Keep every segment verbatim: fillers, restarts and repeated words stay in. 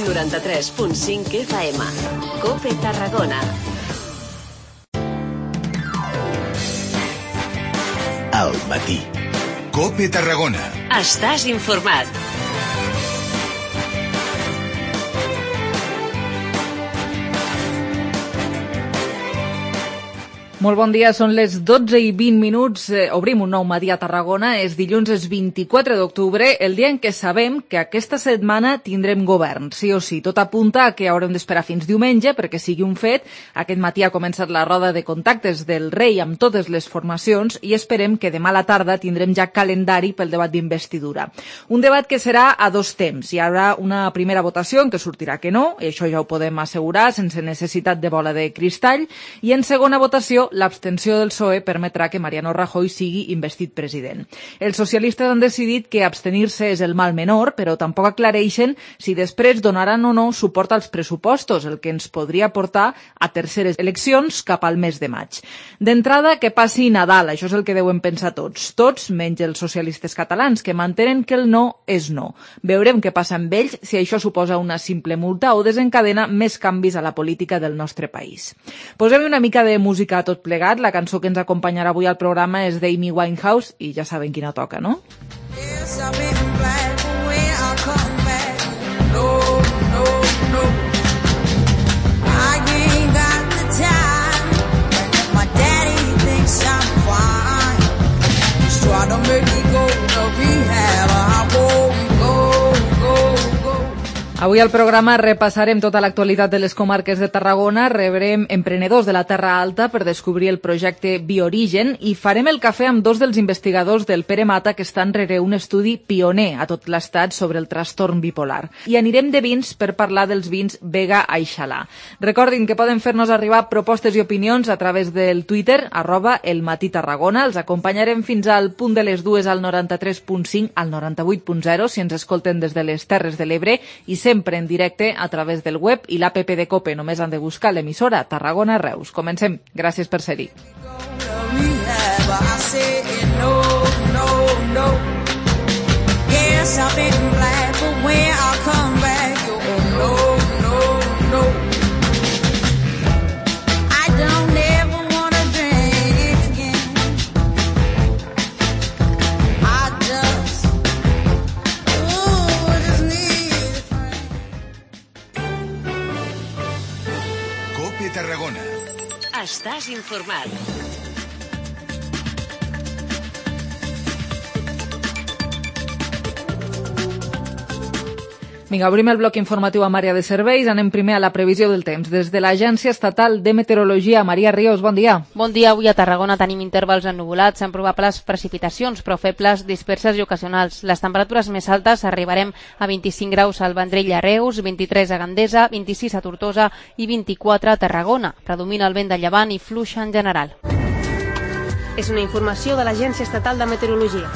noranta-tres punt cinc F M. COPE Tarragona. Al matí. COPE Tarragona. Estàs informat. Molt bon dia, són les dotze i vint minuts, eh, obrim un nou matí a Tarragona, és dilluns, és vint-i-quatre d'octubre, el dia en què sabem que aquesta setmana tindrem govern, sí o sí. Tot apunta a que haurem d'esperar fins diumenge perquè sigui un fet. Aquest matí ha començat la roda de contactes del rei amb totes les formacions i esperem que demà a la tarda tindrem ja calendari pel debat d'investidura. Un debat que serà a dos temps. Hi haurà una primera votació en què sortirà que no, i això ja ho podem assegurar sense necessitat de bola de cristall, i en segona votació l'abstenció del P S O E permetrà que Mariano Rajoy sigui investit president. Els socialistes han decidit que abstenir-se és el mal menor, però tampoc aclareixen si després donaran o no suport als pressupostos, el que ens podria portar a terceres eleccions cap al mes de maig. D'entrada, que passi Nadal, això és el que deuen pensar tots. Tots, menys els socialistes catalans, que mantenen que el no és no. Veurem què passa amb ells, si això suposa una simple multa o desencadena més canvis a la política del nostre país. Posem una mica de música a tot plegat. La cançó que ens acompanyarà avui al programa és d'Amy Winehouse i ja saben quina toca, no? Yes, I've been glad when I come back. No, no, no. I ain't got the time. My daddy thinks I'm fine. He's trying to make me go to rehab. I won't go, go, go. Avui al programa repassarem tota l'actualitat de les comarques de Tarragona, rebrem emprenedors de la Terra Alta per descobrir el projecte Biorigen i farem el cafè amb dos dels investigadors del Pere Mata que estan rere un estudi pioner a tot l'estat sobre el trastorn bipolar. I anirem de vins per parlar dels vins Vega Aixalà. Recordin que poden fer-nos arribar propostes i opinions a través del Twitter, arroba el matí Tarragona. Els acompanyarem fins al punt de les dues al noranta-tres punt cinc, al noranta-vuit punt zero, si ens escolten des de les Terres de l'Ebre, i sempre en directe a través del web i l'app de COPE. Només han de buscar l'emissora Tarragona Reus. Comencem. Gràcies per ser-hi. Tarragona. Estàs informat. Vinga, obrim el bloc informatiu amb àrea de serveis. Anem primer a la previsió del temps. Des de l'Agència Estatal de Meteorologia, Maria Ríos, bon dia. Bon dia. Avui a Tarragona tenim intervals ennuvolats amb probables precipitacions, però febles, disperses i ocasionals. Les temperatures més altes arribarem a vint-i-cinc graus al Vendrell a Reus, vint-i-tres a Gandesa, vint-i-sis a Tortosa i vint-i-quatre a Tarragona. Predomina el vent de llevant i fluixa en general. És una informació de l'Agència Estatal de Meteorologia.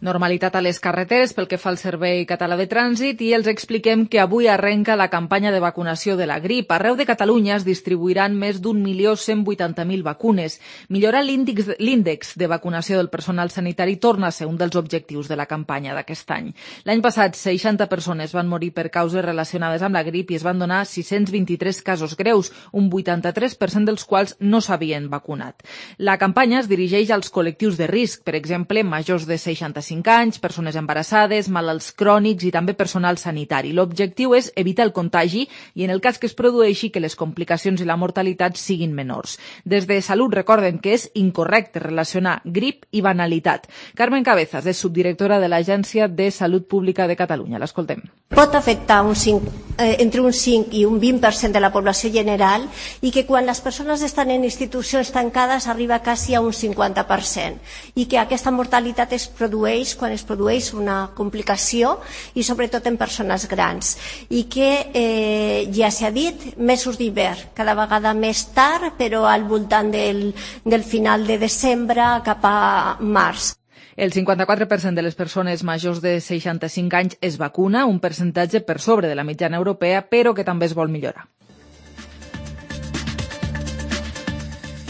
Normalitat a les carreteres pel que fa al Servei Català de Trànsit i els expliquem que avui arrenca la campanya de vacunació de la grip. Arreu de Catalunya es distribuiran més d'un milió cent vuitanta mil vacunes. Millorar l'índex l'índex de vacunació del personal sanitari torna a ser un dels objectius de la campanya d'aquest any. L'any passat, seixanta persones van morir per causes relacionades amb la grip i es van donar sis-cents vint-i-tres casos greus, un vuitanta-tres per cent dels quals no s'havien vacunat. La campanya es dirigeix als col·lectius de risc, per exemple, majors de seixanta-cinc anys, persones embarassades, malalts crònics i també personal sanitari. L'objectiu és evitar el contagi i, en el cas que es produeixi, que les complicacions i la mortalitat siguin menors. Des de Salut recorden que és incorrecte relacionar grip i banalitat. Carmen Cabezas és subdirectora de l'Agència de Salut Pública de Catalunya. L'escoltem. Pot afectar un cinc, eh, entre un cinc i un vint per cent de la població general i que quan les persones estan en institucions tancades arriba quasi a un cinquanta per cent i que aquesta mortalitat es produeix quan es produeix una complicació i sobretot en persones grans i que eh, ja s'ha dit, mesos d'hivern cada vegada més tard però al voltant del, del final de desembre cap a març. El cinquanta-quatre per cent de les persones majors de seixanta-cinc anys es vacuna, un percentatge per sobre de la mitjana europea, però que també es vol millorar.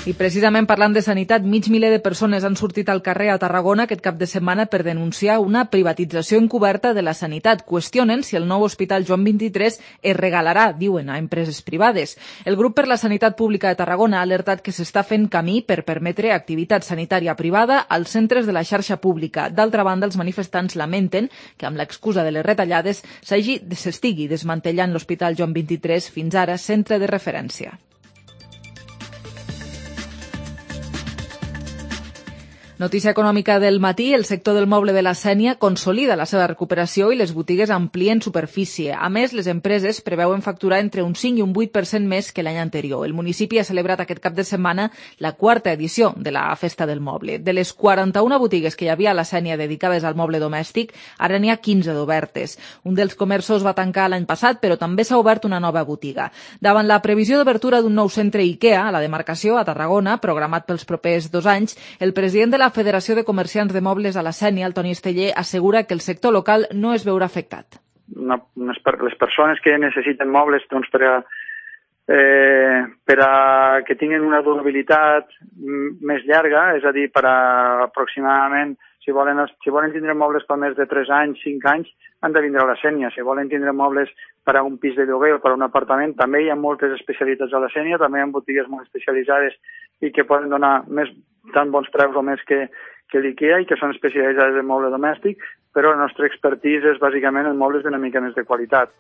I precisament parlant de sanitat, mig miler de persones han sortit al carrer a Tarragona aquest cap de setmana per denunciar una privatització encoberta de la sanitat. Qüestionen si el nou Hospital Joan vint-i-tres es regalarà, diuen, a empreses privades. El grup per la Sanitat Pública de Tarragona ha alertat que s'està fent camí per permetre activitat sanitària privada als centres de la xarxa pública. D'altra banda, els manifestants lamenten que amb l'excusa de les retallades s'estigui desmantellant l'Hospital Joan vint-i-tres, fins ara centre de referència. Notícia econòmica del matí, el sector del moble de la Sénia consolida la seva recuperació i les botigues amplien superfície. A més, les empreses preveuen facturar entre un cinc i un vuit per cent més que l'any anterior. El municipi ha celebrat aquest cap de setmana la quarta edició de la Festa del Moble. De les quaranta-una botigues que hi havia a la Sénia dedicades al moble domèstic, ara n'hi ha quinze d'obertes. Un dels comerços va tancar l'any passat, però també s'ha obert una nova botiga. Davant la previsió d'obertura d'un nou centre IKEA a la demarcació, a Tarragona, programat pels propers dos anys, el president de la La Federació de Comerciants de Mobles a la Sénia, el Toni Esteller, assegura que el sector local no es veurà afectat. Una, unes, les persones que necessiten mobles doncs, per, a, eh, per a que tinguin una durabilitat més llarga, és a dir, per a aproximadament, si volen, si volen tindre mobles per més de tres anys, cinc anys, han de vindre a la Sénia. Si volen tindre mobles per a un pis de lloguer o per a un apartament, també hi ha moltes especialitats a la Sénia, també hi ha botigues molt especialitzades i que poden donar més tan bons preus o més que, que l'IKEA i que són especialitzades en moble domèstic, però la nostra expertise és bàsicament en mobles d'una mica més de qualitat.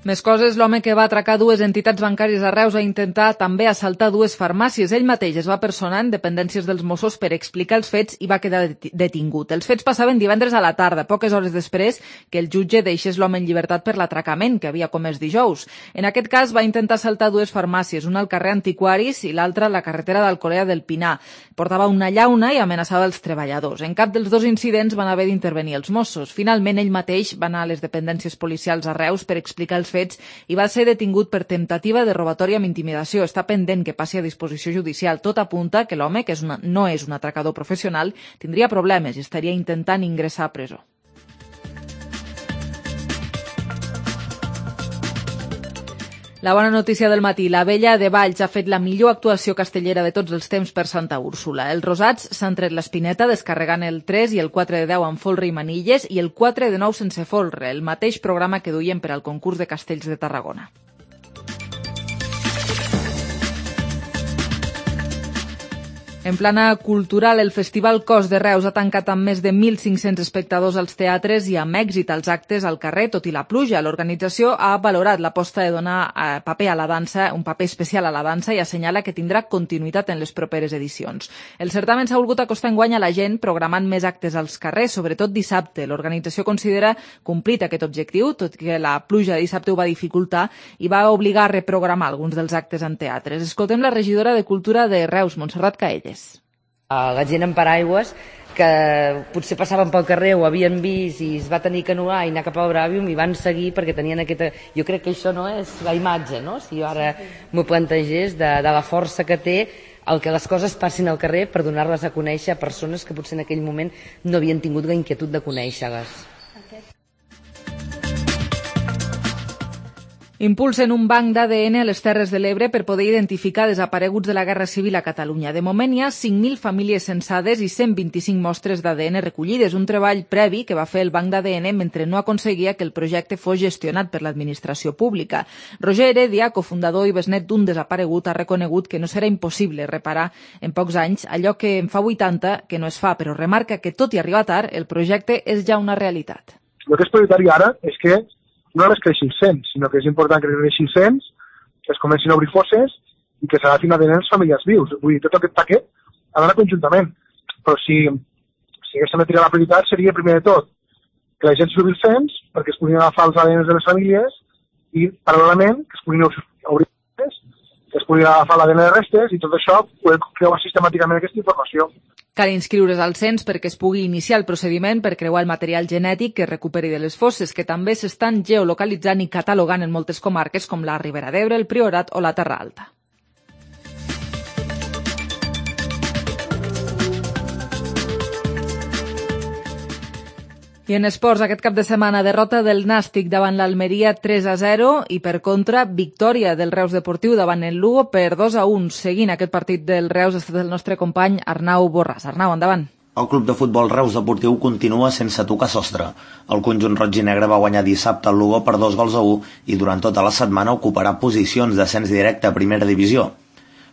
Més coses, l'home que va atracar dues entitats bancàries a Reus a intentar també assaltar dues farmàcies. Ell mateix es va personar en dependències dels Mossos per explicar els fets i va quedar detingut. Els fets passaven divendres a la tarda, poques hores després que el jutge deixés l'home en llibertat per l'atracament que havia comès dijous. En aquest cas va intentar assaltar dues farmàcies, una al carrer Antiquaris i l'altra a la carretera d'Alcolea del Pinar. Portava una llauna i amenaçava els treballadors. En cap dels dos incidents van haver d'intervenir els Mossos. Finalment, ell mateix va anar a les dependències policials a Reus per explicar els fets i va ser detingut per temptativa de robatori amb intimidació. Està pendent que passi a disposició judicial. Tot apunta que l'home, que és una, no és un atracador professional, tindria problemes i estaria intentant ingressar a presó. La bona notícia del matí. La Vella de Valls ha fet la millor actuació castellera de tots els temps per Santa Úrsula. Els rosats s'han tret l'espineta descarregant el tres i el quatre de deu amb folre i manilles i el quatre de nou sense folre, el mateix programa que duien per al concurs de castells de Tarragona. En plana cultural, el Festival Cos de Reus ha tancat amb més de mil cinc-cents espectadors als teatres i amb èxit als actes al carrer, tot i la pluja. L'organització ha valorat l'aposta de donar eh, paper a la dansa, un paper especial a la dansa, i assenyala que tindrà continuïtat en les properes edicions. El certamen s'ha volgut acostar enguany a la gent, programant més actes als carrers, sobretot dissabte. L'organització considera complit aquest objectiu, tot que la pluja de dissabte ho va dificultar i va obligar a reprogramar alguns dels actes en teatres. Escoltem la regidora de Cultura de Reus, Montserrat Caelles. La gent amb paraigües que potser passaven pel carrer o havien vist i es va tenir que anular i anar cap al Bràvium i van seguir perquè tenien aquesta... Jo crec que això no és la imatge, no? Si jo ara m'ho plantegés de, de la força que té el que les coses passin al carrer per donar-les a conèixer a persones que potser en aquell moment no havien tingut la inquietud de conèixer-les. Impulsen un banc d'A D N a les Terres de l'Ebre per poder identificar desapareguts de la Guerra Civil a Catalunya. De moment hi ha cinc mil famílies censades i cent vint-i-cinc mostres d'A D N recollides, un treball previ que va fer el banc d'A D N mentre no aconseguia que el projecte fos gestionat per l'administració pública. Roger Heredia, cofundador i besnet d'un desaparegut, ha reconegut que no serà impossible reparar en pocs anys allò que en fa vuitanta que no es fa, però remarca que tot i arribar tard, el projecte és ja una realitat. El que és prioritari ara és que no només creixin cent, sinó que és important que creixin cent, que es comencin a obrir fosses i que s'agafin a D N les famílies vius. Vull dir, tot aquest paquet ha d'anar conjuntament. Però si, si haguéssim de triar la prioritat seria, primer de tot, que la gent s'obri els cens perquè es puguin agafar els A D Ns de les famílies i, paral·lelament, que es puguin obrir fosses, que es puguin agafar l'A D N de restes i tot això poder creuar sistemàticament aquesta informació. Cal inscriure's al cens perquè es pugui iniciar el procediment per creuar el material genètic que es recuperi de les fosses, que també s'estan geolocalitzant i catalogant en moltes comarques com la Ribera d'Ebre, el Priorat o la Terra Alta. I en esports, aquest cap de setmana, derrota del Nàstic davant l'Almeria tres a zero i, per contra, victòria del Reus Deportiu davant el Lugo per dos a un. Seguint aquest partit del Reus ha estat el nostre company Arnau Borràs. Arnau, endavant. El club de futbol Reus Deportiu continua sense tocar sostre. El conjunt roig i negre va guanyar dissabte al Lugo per dos gols a u i durant tota la setmana ocuparà posicions d'ascens directe a primera divisió.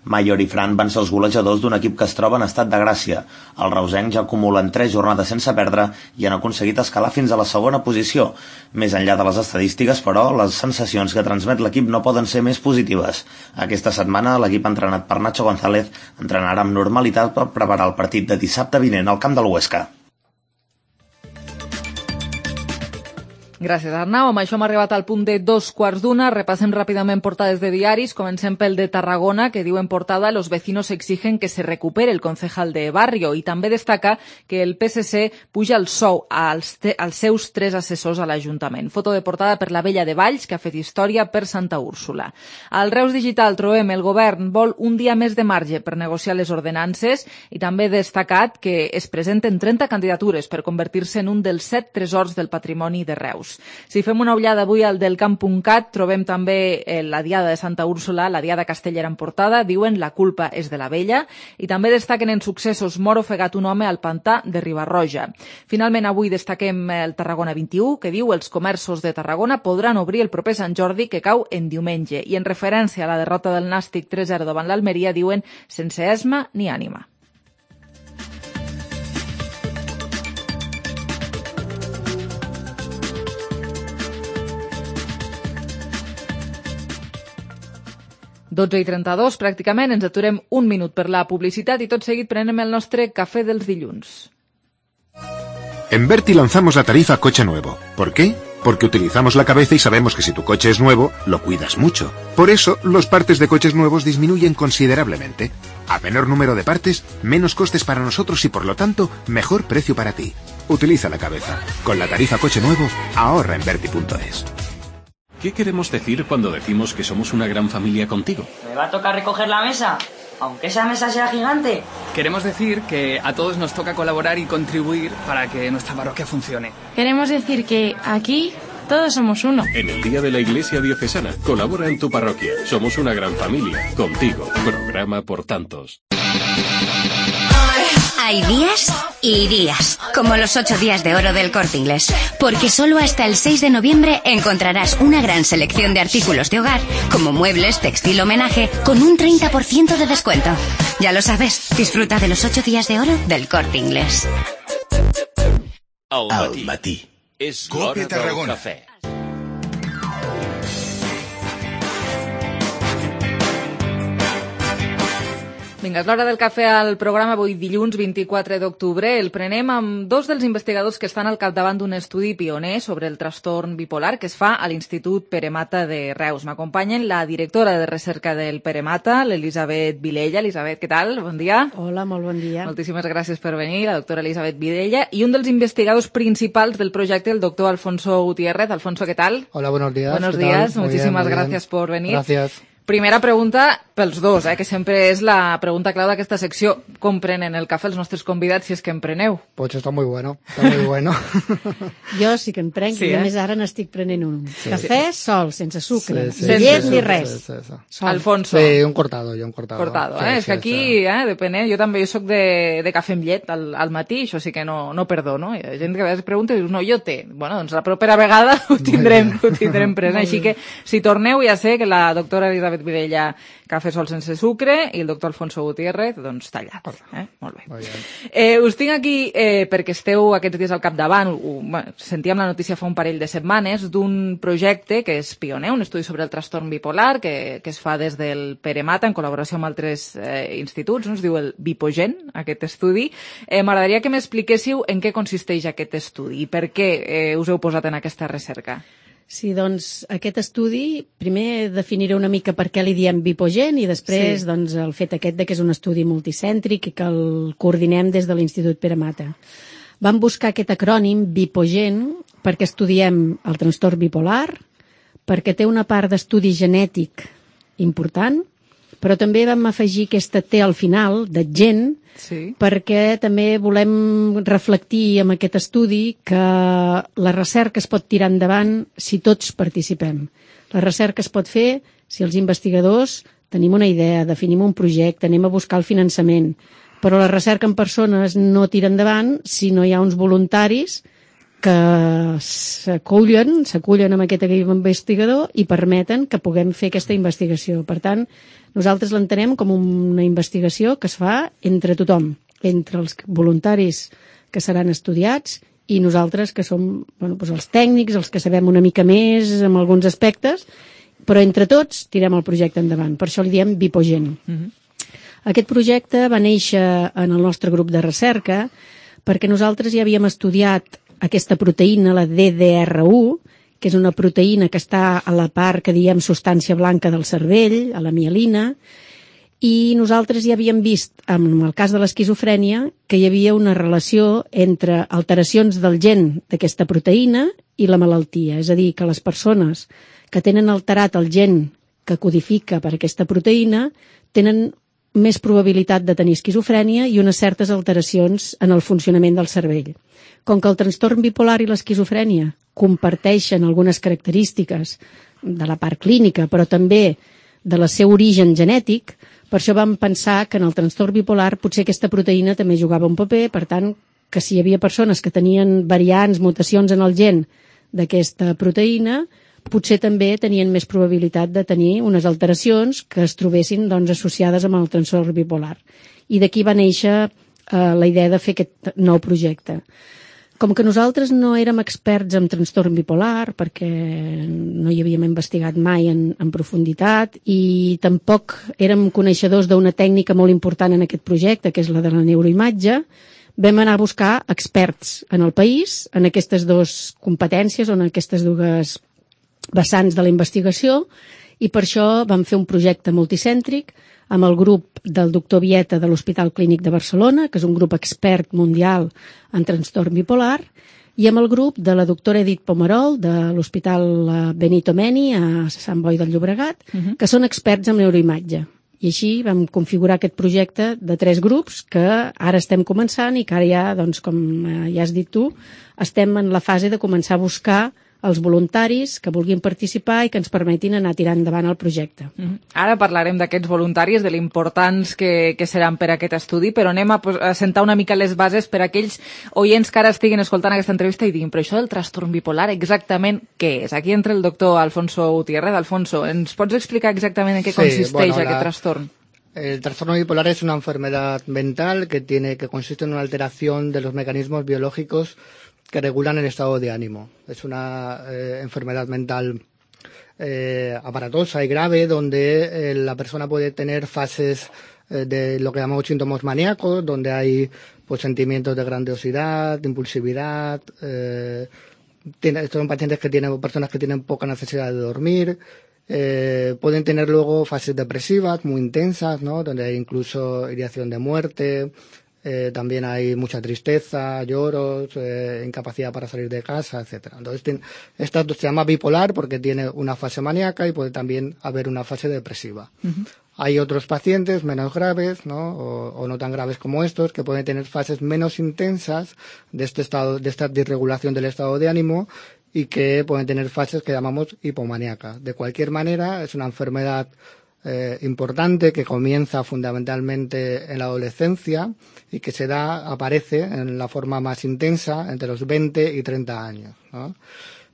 Maior i Fran van ser els golejadors d'un equip que es troba en estat de gràcia. Els reusencs ja acumulen tres jornades sense perdre i han aconseguit escalar fins a la segona posició. Més enllà de les estadístiques, però, les sensacions que transmet l'equip no poden ser més positives. Aquesta setmana l'equip entrenat per Nacho González entrenarà amb normalitat per preparar el partit de dissabte vinent al camp del Huesca. Gràcies, Arnau. Amb això hem arribat al punt de dos quarts d'una. Repassem ràpidament portades de diaris. Comencem pel de Tarragona, que diu en portada «Los vecinos exigen que se recupere el concejal de barrio». I també destaca que el P S C puja el sou als, als seus tres assessors a l'Ajuntament. Foto de portada per la Vella de Valls, que ha fet història per Santa Úrsula. Al Reus Digital trobem el govern vol un dia més de marge per negociar les ordenances i també destacat que es presenten trenta candidatures per convertir-se en un dels set tresors del patrimoni de Reus. Si fem una ullada avui al del camp punt cat, trobem també la Diada de Santa Úrsula, la Diada castellera en portada, diuen la culpa és de la vella, i també destaquen en successos mor ofegat un home al pantà de Ribarroja. Finalment, avui destaquem el Tarragona vint-i-u, que diu els comerços de Tarragona podran obrir el proper Sant Jordi, que cau en diumenge, i en referència a la derrota del Nàstic tres a zero davant l'Almeria, diuen sense esma ni ànima. dotze i trenta-dos, pràcticament, ens aturem un minut per la publicitat i tot seguit prenem el nostre cafè dels dilluns. En Berti lanzamos la tarifa coche nuevo. ¿Por qué? Porque utilizamos la cabeza y sabemos que si tu coche es nuevo, lo cuidas mucho. Por eso, los partes de coches nuevos disminuyen considerablemente. A menor número de partes, menos costes para nosotros y por lo tanto, mejor precio para ti. Utiliza la cabeza. Con la tarifa coche nuevo, ahorra en Berti punto es. ¿Qué queremos decir cuando decimos que somos una gran familia contigo? ¿Me va a tocar recoger la mesa? Aunque esa mesa sea gigante. Queremos decir que a todos nos toca colaborar y contribuir para que nuestra parroquia funcione. Queremos decir que aquí todos somos uno. En el Día de la Iglesia Diocesana, colabora en tu parroquia. Somos una gran familia. Contigo. Programa por tantos. Hay días y días, como los ocho días de oro del Corte Inglés, porque solo hasta el seis de noviembre encontrarás una gran selección de artículos de hogar, como muebles, textil, homenaje, con un treinta por ciento de descuento. Ya lo sabes, disfruta de los ocho días de oro del Corte Inglés. Al matí. És Cope Tarragona. Cafè. Vinga, és l'hora del cafè al programa avui dilluns vint-i-quatre d'octubre. El prenem amb dos dels investigadors que estan al capdavant d'un estudi pioner sobre el trastorn bipolar que es fa a l'Institut Pere Mata de Reus. M'acompanyen la directora de recerca del Pere Mata, l'Elisabet Vilella. Elisabet, què tal? Bon dia. Hola, molt bon dia. Moltíssimes gràcies per venir, la doctora Elisabet Vilella. I un dels investigadors principals del projecte, el doctor Alfonso Gutiérrez. Alfonso, ¿qué tal? Hola, buenos días. Buenos días, muchísimas gracias por venir. Gracias. Primera pregunta pels dos, eh, que sempre és la pregunta clau d'aquesta secció. Com prenen el cafè els nostres convidats, si és que en preneu? Pues está muy bueno, está muy bueno. Jo sí que en prenc, sí, i a eh? més ara n'estic prenent un. Sí. Cafè sol, sense sucre, Sí, sí, ni sí, llet sí, ni sí, res. sí, sí, sí. Sol. Alfonso. Sí, un cortado, jo un cortado. Cortado, sí, eh? sí, és que aquí, sí. eh, depèn, eh? Jo també jo soc de, de cafè amb llet al, al matí, això sí que no, no perdono. Hi ha gent que a vegades pregunta i dius, no, jo té. Bueno, doncs la propera vegada ho tindrem, ho tindrem present. Així que, si torneu, ja sé que la doctora Elisabet Vilella cafè sol sense sucre i el doctor Alfonso Gutiérrez, doncs tallat. Eh? Molt bé. Eh, us tinc aquí eh, perquè esteu aquests dies al capdavant. Ho, bueno, sentíem la notícia fa un parell de setmanes d'un projecte que és pioner, un estudi sobre el trastorn bipolar que, que es fa des del Pere Mata en col·laboració amb altres eh, instituts, no? Es diu el Bipogen, aquest estudi. Eh, M'agradaria que m'expliquéssiu en què consisteix aquest estudi i per què eh, us heu posat en aquesta recerca. Sí, doncs aquest estudi, primer definiré una mica per què li diem Bipogen i després Sí. doncs, el fet aquest de que és un estudi multicèntric i que el coordinem des de l'Institut Pere Mata. Vam buscar aquest acrònim Bipogen perquè estudiem el trastorn bipolar, perquè té una part d'estudi genètic important, però també vam afegir aquesta T al final, de gent, sí. perquè també volem reflectir amb aquest estudi que la recerca es pot tirar endavant si tots participem. La recerca es pot fer si els investigadors tenim una idea, definim un projecte, anem a buscar el finançament, però la recerca en persones no tira endavant si no hi ha uns voluntaris que s'acullen, s'acullen amb aquest equip investigador i permeten que puguem fer aquesta investigació. Per tant, nosaltres l'entenem com una investigació que es fa entre tothom, entre els voluntaris que seran estudiats i nosaltres que som bueno, doncs els tècnics, els que sabem una mica més en alguns aspectes, però entre tots tirem el projecte endavant. Per això li diem Vipogen. Mhm. Aquest projecte va néixer en el nostre grup de recerca perquè nosaltres ja havíem estudiat aquesta proteïna, la D D R u, que és una proteïna que està a la part que diem substància blanca del cervell, a la mielina, i nosaltres ja havíem vist, en el cas de l'esquizofrènia, que hi havia una relació entre alteracions del gen d'aquesta proteïna i la malaltia. És a dir, que les persones que tenen alterat el gen que codifica per aquesta proteïna tenen més probabilitat de tenir esquizofrènia i unes certes alteracions en el funcionament del cervell. Com que el trastorn bipolar i l'esquizofrènia comparteixen algunes característiques de la part clínica, però també de la seu origen genètic, per això vam pensar que en el trastorn bipolar potser aquesta proteïna també jugava un paper, per tant, que si hi havia persones que tenien variants, mutacions en el gen d'aquesta proteïna, potser també tenien més probabilitat de tenir unes alteracions que es trobessin doncs, associades amb el trastorn bipolar. I d'aquí va néixer eh, la idea de fer aquest nou projecte. Com que nosaltres no érem experts en trastorn bipolar, perquè no hi havíem investigat mai en, en profunditat, i tampoc érem coneixedors d'una tècnica molt important en aquest projecte, que és la de la neuroimatge, vam anar a buscar experts en el país, en aquestes dues competències, o en aquestes dues vessants de la investigació, i per això vam fer un projecte multicèntric amb el grup del doctor Vieta de l'Hospital Clínic de Barcelona, que és un grup expert mundial en trastorn bipolar, i amb el grup de la doctora Edith Pomerol de l'Hospital Benito Meni a Sant Boi del Llobregat, uh-huh. que són experts en neuroimatge. I així vam configurar aquest projecte de tres grups que ara estem començant i que ara ja, doncs, com ja has dit tu, estem en la fase de començar a buscar els voluntaris que vulguin participar i que ens permetin anar tirant endavant el projecte. Mm-hmm. Ara parlarem d'aquests voluntaris, de l'importants que, que seran per aquest estudi, però anem a, a sentar una mica les bases per a aquells oients que ara estiguin escoltant aquesta entrevista i diguin, però això del trastorn bipolar exactament què és? Aquí entra el doctor Alfonso Gutiérrez. Alfonso, ¿ens pots explicar exactament en què sí, consisteix bueno, aquest la... trastorn? El trastorno bipolar es una enfermedad mental que tiene que consiste en una alteración de los mecanismos biológicos que regulan el estado de ánimo. Es una eh, enfermedad mental eh, aparatosa y grave donde eh, la persona puede tener fases eh, de lo que llamamos síntomas maníacos, donde hay pues sentimientos de grandiosidad, de impulsividad. Eh, tiene, estos son pacientes que tienen, personas que tienen poca necesidad de dormir. Eh, pueden tener luego fases depresivas muy intensas, ¿no? Donde hay incluso ideación de muerte. Eh, también hay mucha tristeza, lloros, eh, incapacidad para salir de casa, etcétera. Entonces, tiene, esta se llama bipolar porque tiene una fase maníaca y puede también haber una fase depresiva. Uh-huh. Hay otros pacientes menos graves, ¿no? O, o no tan graves como estos, que pueden tener fases menos intensas de este estado, de esta disregulación del estado de ánimo y que pueden tener fases que llamamos hipomaníacas. De cualquier manera, es una enfermedad Eh, importante que comienza fundamentalmente en la adolescencia y que se da, aparece en la forma más intensa entre los veinte y treinta años, ¿no?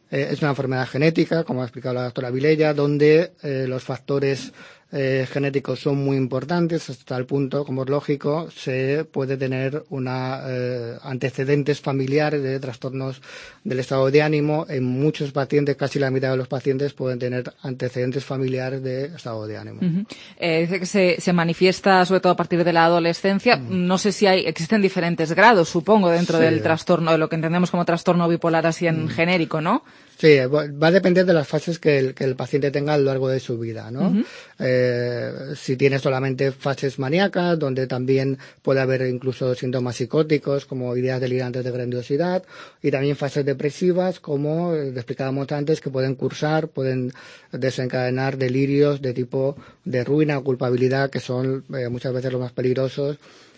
Eh, es una enfermedad genética, como ha explicado la doctora Vilella, donde eh, los factores eh, genéticos son muy importantes hasta el punto, como es lógico, se puede tener una eh, antecedentes familiares de trastornos del estado de ánimo. En muchos pacientes, casi la mitad de los pacientes pueden tener antecedentes familiares de estado de ánimo. Uh-huh. Eh, dice que se, se manifiesta sobre todo a partir de la adolescencia. Uh-huh. No sé si hay, existen diferentes grados, supongo, dentro sí. del trastorno, de lo que entendemos como trastorno bipolar así en uh-huh. genérico, ¿no? Sí, va a depender de las fases que el, que el paciente tenga a lo largo de su vida, ¿no? Uh-huh. eh, eh, si tiene solamente fases maníacas, donde también puede haber incluso síntomas psicóticos como ideas delirantes de grandiosidad, y también fases depresivas como eh, explicábamos antes, que pueden cursar, pueden desencadenar delirios de tipo de ruina o culpabilidad, que son eh, muchas veces los más peligrosos,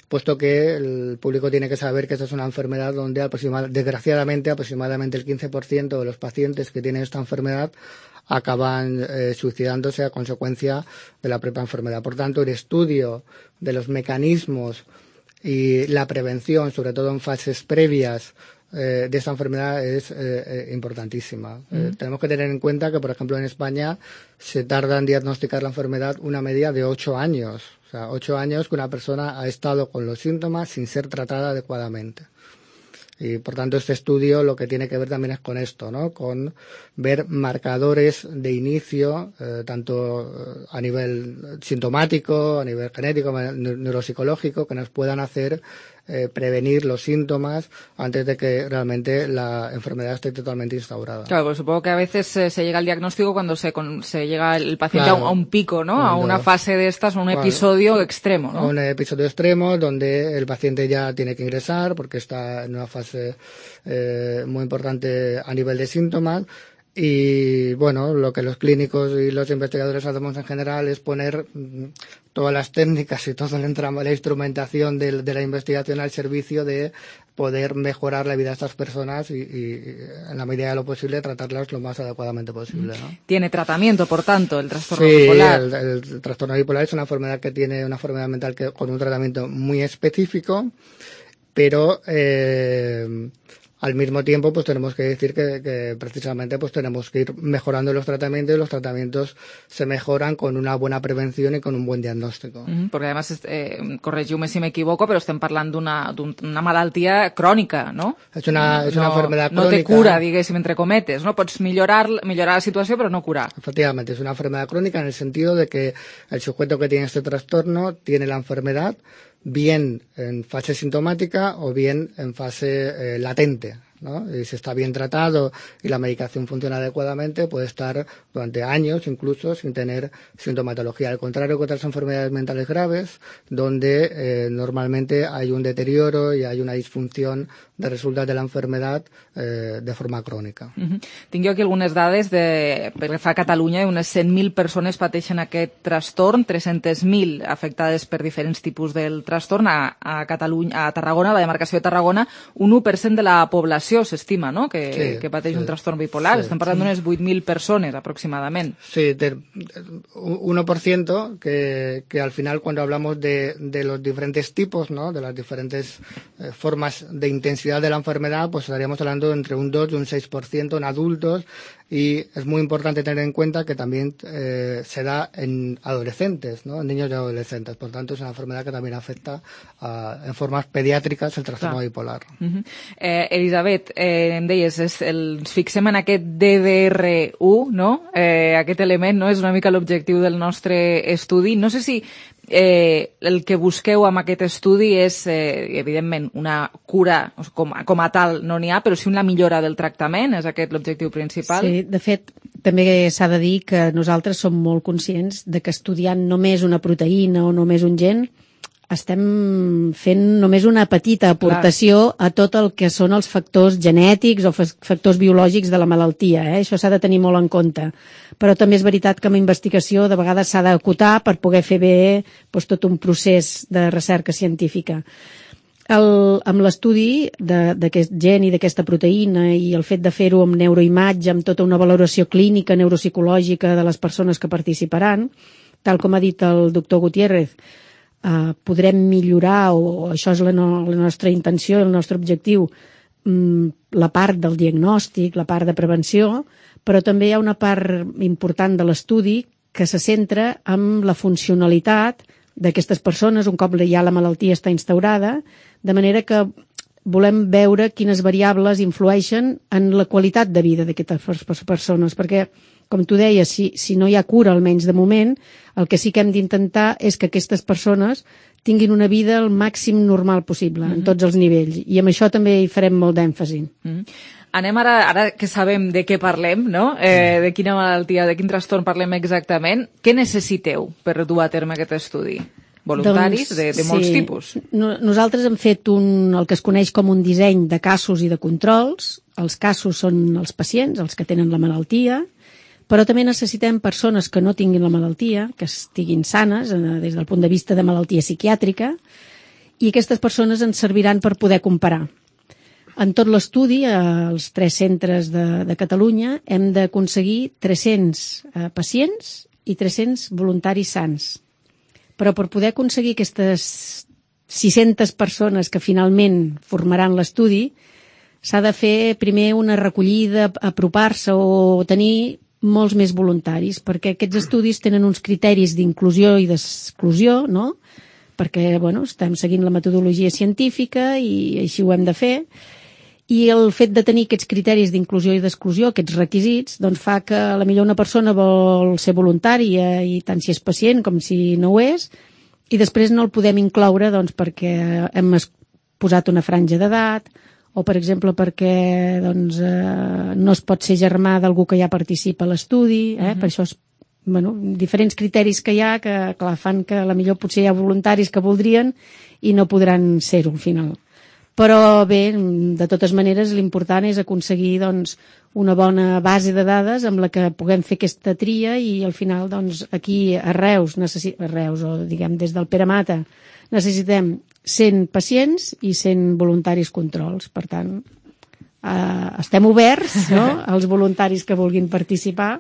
puesto que el público tiene que saber que esta es una enfermedad donde aproximad- desgraciadamente aproximadamente el quince por ciento de los pacientes que tienen esta enfermedad acaban eh, suicidándose a consecuencia de la propia enfermedad. Por tanto, el estudio de los mecanismos y la prevención, sobre todo en fases previas eh, de esta enfermedad, es eh, eh, importantísima. Mm. Eh, tenemos que tener en cuenta que, por ejemplo, en España se tarda en diagnosticar la enfermedad una media de ocho años. O sea, ocho años que una persona ha estado con los síntomas sin ser tratada adecuadamente. Y, por tanto, este estudio lo que tiene que ver también es con esto, ¿no? Con ver marcadores de inicio, eh, tanto a nivel sintomático, a nivel genético, neuropsicológico, que nos puedan hacer eh, prevenir los síntomas antes de que realmente la enfermedad esté totalmente instaurada. Claro, pues supongo que a veces eh, se llega al diagnóstico cuando se, con, se llega el paciente claro, a, un, a un pico, ¿no? Cuando, a una fase de estas, a un claro, episodio extremo, ¿no? A un episodio extremo donde el paciente ya tiene que ingresar porque está en una fase eh, muy importante a nivel de síntomas. Y bueno, lo que los clínicos y los investigadores hacemos en general es poner todas las técnicas y toda la, la instrumentación de, de la investigación al servicio de poder mejorar la vida de estas personas y, y en la medida de lo posible tratarlas lo más adecuadamente posible, ¿no? Tiene tratamiento, por tanto, el trastorno sí, bipolar. El, el, el trastorno bipolar es una enfermedad que tiene una enfermedad mental que, con un tratamiento muy específico, pero eh, al mismo tiempo, pues tenemos que decir que, que precisamente pues tenemos que ir mejorando los tratamientos y los tratamientos se mejoran con una buena prevención y con un buen diagnóstico. Mm-hmm, perquè, a més, eh, corregiu-me si m'equivoco, però estem parlant d'una una malaltia crònica, no? És una, és una no, enfermedad no crónica. No té cura, diguéssim, entre cometes, no? Pots millorar, millorar la situació, però no curar. Efectivamente, es una enfermedad crónica en el sentido de que el sujeto que tiene este trastorno tiene la enfermedad bien en fase sintomática o bien en fase eh, latente, ¿no? Y si está bien tratado y la medicación funciona adecuadamente, puede estar durante años incluso sin tener sintomatología. Al contrario que otras enfermedades mentales graves, donde eh, normalmente hay un deterioro y hay una disfunción de resultat de la enfermedad eh, de forma crònica. Uh-huh. Tinc jo aquí algunes dades de, perquè fa a Catalunya unes cent mil persones pateixen aquest trastorn, tres-centes mil afectades per diferents tipus del trastorn. A, a Catalunya, a Tarragona, a la demarcació de Tarragona, un u per cent de la població s'estima, no?, que, sí, que pateix sí, un trastorn bipolar. Sí, estem parlant sí. d'unes vuit mil persones, aproximadament. Sí, del uno por ciento, que, que al final cuando hablamos de, de los diferentes tipos, ¿no?, de las diferentes eh, formas de intensidad de la enfermedad, pues estaríamos hablando entre un dos y un seis por ciento en adultos, y es muy importante tener en cuenta que también eh, se da en adolescentes, ¿no?, en niños y adolescentes. Por tanto, es una enfermedad que también afecta a, en formas pediàtriques el trastorno Clar. bipolar. Uh-huh. eh, Elisabet, eh, em deies, és el, ens fixem en aquest D D R U, no? Eh, aquest element, no?, és una mica l'objectiu del nostre estudi. No sé si eh, el que busqueu amb aquest estudi és, eh, evidentment, una cura com, com a tal no n'hi ha, però sí una millora del tractament, és aquest l'objectiu principal? Sí, de fet, també s'ha de dir que nosaltres som molt conscients de que estudiant només una proteïna o només un gen estem fent només una petita aportació Clar. a tot el que són els factors genètics o factors biològics de la malaltia. Eh? Això s'ha de tenir molt en compte. Però també és veritat que amb investigació de vegades s'ha d'acotar per poder fer bé doncs, tot un procés de recerca científica. El, amb l'estudi d'aquest gen i d'aquesta proteïna i el fet de fer-ho amb neuroimatge, amb tota una valoració clínica, neuropsicològica de les persones que participaran, tal com ha dit el doctor Gutiérrez, Uh, podrem millorar, o això és la, no, la nostra intenció, el nostre objectiu, um, la part del diagnòstic, la part de prevenció, però també hi ha una part important de l'estudi que se centra en la funcionalitat d'aquestes persones un cop ja la malaltia està instaurada, de manera que volem veure quines variables influeixen en la qualitat de vida d'aquestes persones, perquè, com tu deies, si, si no hi ha cura, almenys de moment, el que sí que hem d'intentar és que aquestes persones tinguin una vida el màxim normal possible, mm-hmm. en tots els nivells, i amb això també hi farem molt d'èmfasi. Mm-hmm. Anem ara, ara que sabem de què parlem, no? Eh, de quina malaltia, de quin trastorn parlem exactament. Què necessiteu per dur a terme aquest estudi? Voluntaris doncs, de, de molts sí. tipus. Nosaltres hem fet un, el que es coneix com un disseny de casos i de controls. Els casos són els pacients, els que tenen la malaltia, però també necessitem persones que no tinguin la malaltia, que estiguin sanes eh, des del punt de vista de malaltia psiquiàtrica, i aquestes persones ens serviran per poder comparar. En tot l'estudi, als tres centres de, de Catalunya, hem d'aconseguir tres-cents eh, pacients i tres-cents voluntaris sans. Però per poder aconseguir aquestes sis-centes persones que finalment formaran l'estudi, s'ha de fer primer una recollida, apropar-se o tenir molts més voluntaris, perquè aquests estudis tenen uns criteris d'inclusió i d'exclusió, no? Perquè, bueno, estem seguint la metodologia científica i així ho hem de fer, i el fet de tenir aquests criteris d'inclusió i d'exclusió, aquests requisits, doncs fa que a la millor una persona vol ser voluntària, i tant si és pacient com si no ho és, i després no el podem incloure doncs, perquè hem posat una franja d'edat, o, per exemple, perquè doncs, eh, no es pot ser germà d'algú que ja participa a l'estudi, eh? Uh-huh. Per això és, bueno, diferents criteris que hi ha que clar, fan que a la millor potser hi ha voluntaris que voldrien i no podran ser-ho al final. Però bé, de totes maneres, l'important és aconseguir doncs, una bona base de dades amb la que puguem fer aquesta tria i al final doncs, aquí a Reus, necessi... a Reus o diguem des del Pere Mata, necessitem cent pacients i cent voluntaris controls. Per tant, eh, estem oberts no? als voluntaris que vulguin participar.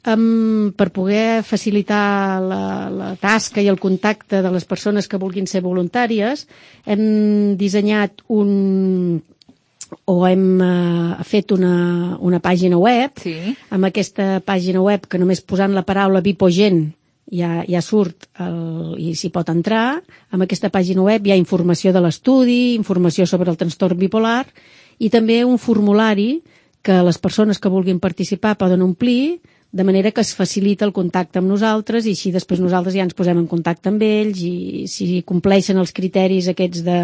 Um, per poder facilitar la, la tasca i el contacte de les persones que vulguin ser voluntàries, hem dissenyat un o hem uh, fet una, una pàgina web. Sí. Amb aquesta pàgina web, que només posant la paraula Vipogen ja, ja surt el, i s'hi pot entrar. Amb aquesta pàgina web hi ha informació de l'estudi, informació sobre el trastorn bipolar i també un formulari que les persones que vulguin participar poden omplir, de manera que es facilita el contacte amb nosaltres i així després nosaltres ja ens posem en contacte amb ells i si compleixen els criteris aquests de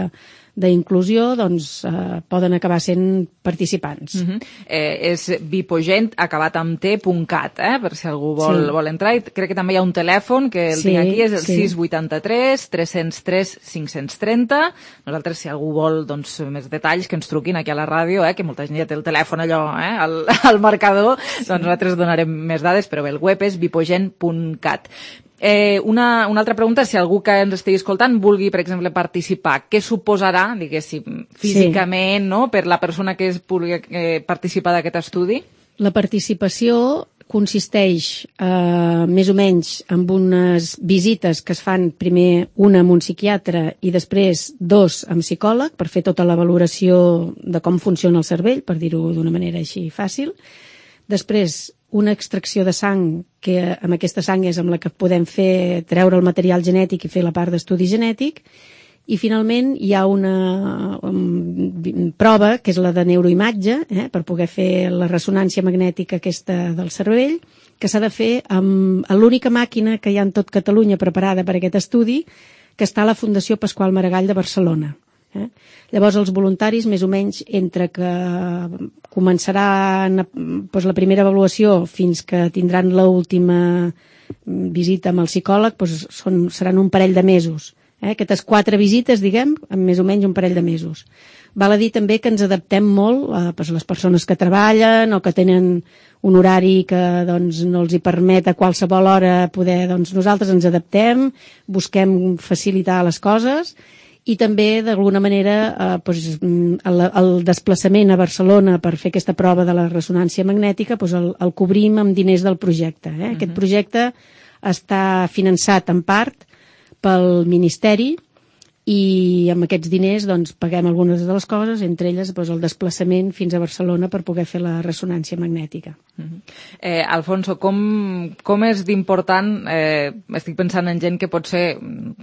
d'inclusió, doncs eh, poden acabar sent participants. Uh-huh. eh, és Vipogent acabat amb t punt cat, eh, per si algú vol, sí. vol entrar. I crec que també hi ha un telèfon que el sí, tinc aquí, és el sí. sis vuitanta-tres tres zero tres cinc trenta. Nosaltres, si algú vol doncs, més detalls, que ens truquin aquí a la ràdio, eh, que molta gent ja té el telèfon allò eh, al, al marcador, sí. doncs nosaltres donarem més dades, però bé, el web és vipogent punt cat. Eh, una, una altra pregunta, si algú que ens estigui escoltant vulgui, per exemple, participar, què suposarà, diguéssim, físicament, sí. no?, per la persona que es pugui eh, participar d'aquest estudi? La participació consisteix eh, més o menys en unes visites que es fan primer una amb un psiquiatre i després dos amb psicòleg per fer tota la valoració de com funciona el cervell, per dir-ho d'una manera així fàcil. Després, una extracció de sang, que amb aquesta sang és amb la que podem fer treure el material genètic i fer la part d'estudi genètic, i finalment hi ha una um, prova, que és la de neuroimatge, eh, per poder fer la ressonància magnètica aquesta del cervell, que s'ha de fer amb l'única màquina que hi ha en tot Catalunya preparada per aquest estudi, que està a la Fundació Pasqual Maragall de Barcelona. Eh? Llavors els voluntaris, més o menys, entre que començaran doncs, la primera avaluació fins que tindran l'última visita amb el psicòleg, doncs, són, seran un parell de mesos. Eh? Aquestes quatre visites, diguem, en més o menys un parell de mesos. Val a dir també que ens adaptem molt a doncs, les persones que treballen o que tenen un horari que doncs, no els hi permet a qualsevol hora poder... Doncs, nosaltres ens adaptem, busquem facilitar les coses i també, d'alguna manera, eh, doncs, el, el desplaçament a Barcelona per fer aquesta prova de la ressonància magnètica doncs el, el cobrim amb diners del projecte. Eh? Uh-huh. Aquest projecte està finançat en part pel Ministeri i amb aquests diners doncs, paguem algunes de les coses, entre elles doncs, el desplaçament fins a Barcelona per poder fer la ressonància magnètica. Uh-huh. eh, Alfonso, com, com és d'important, eh, estic pensant en gent que pot ser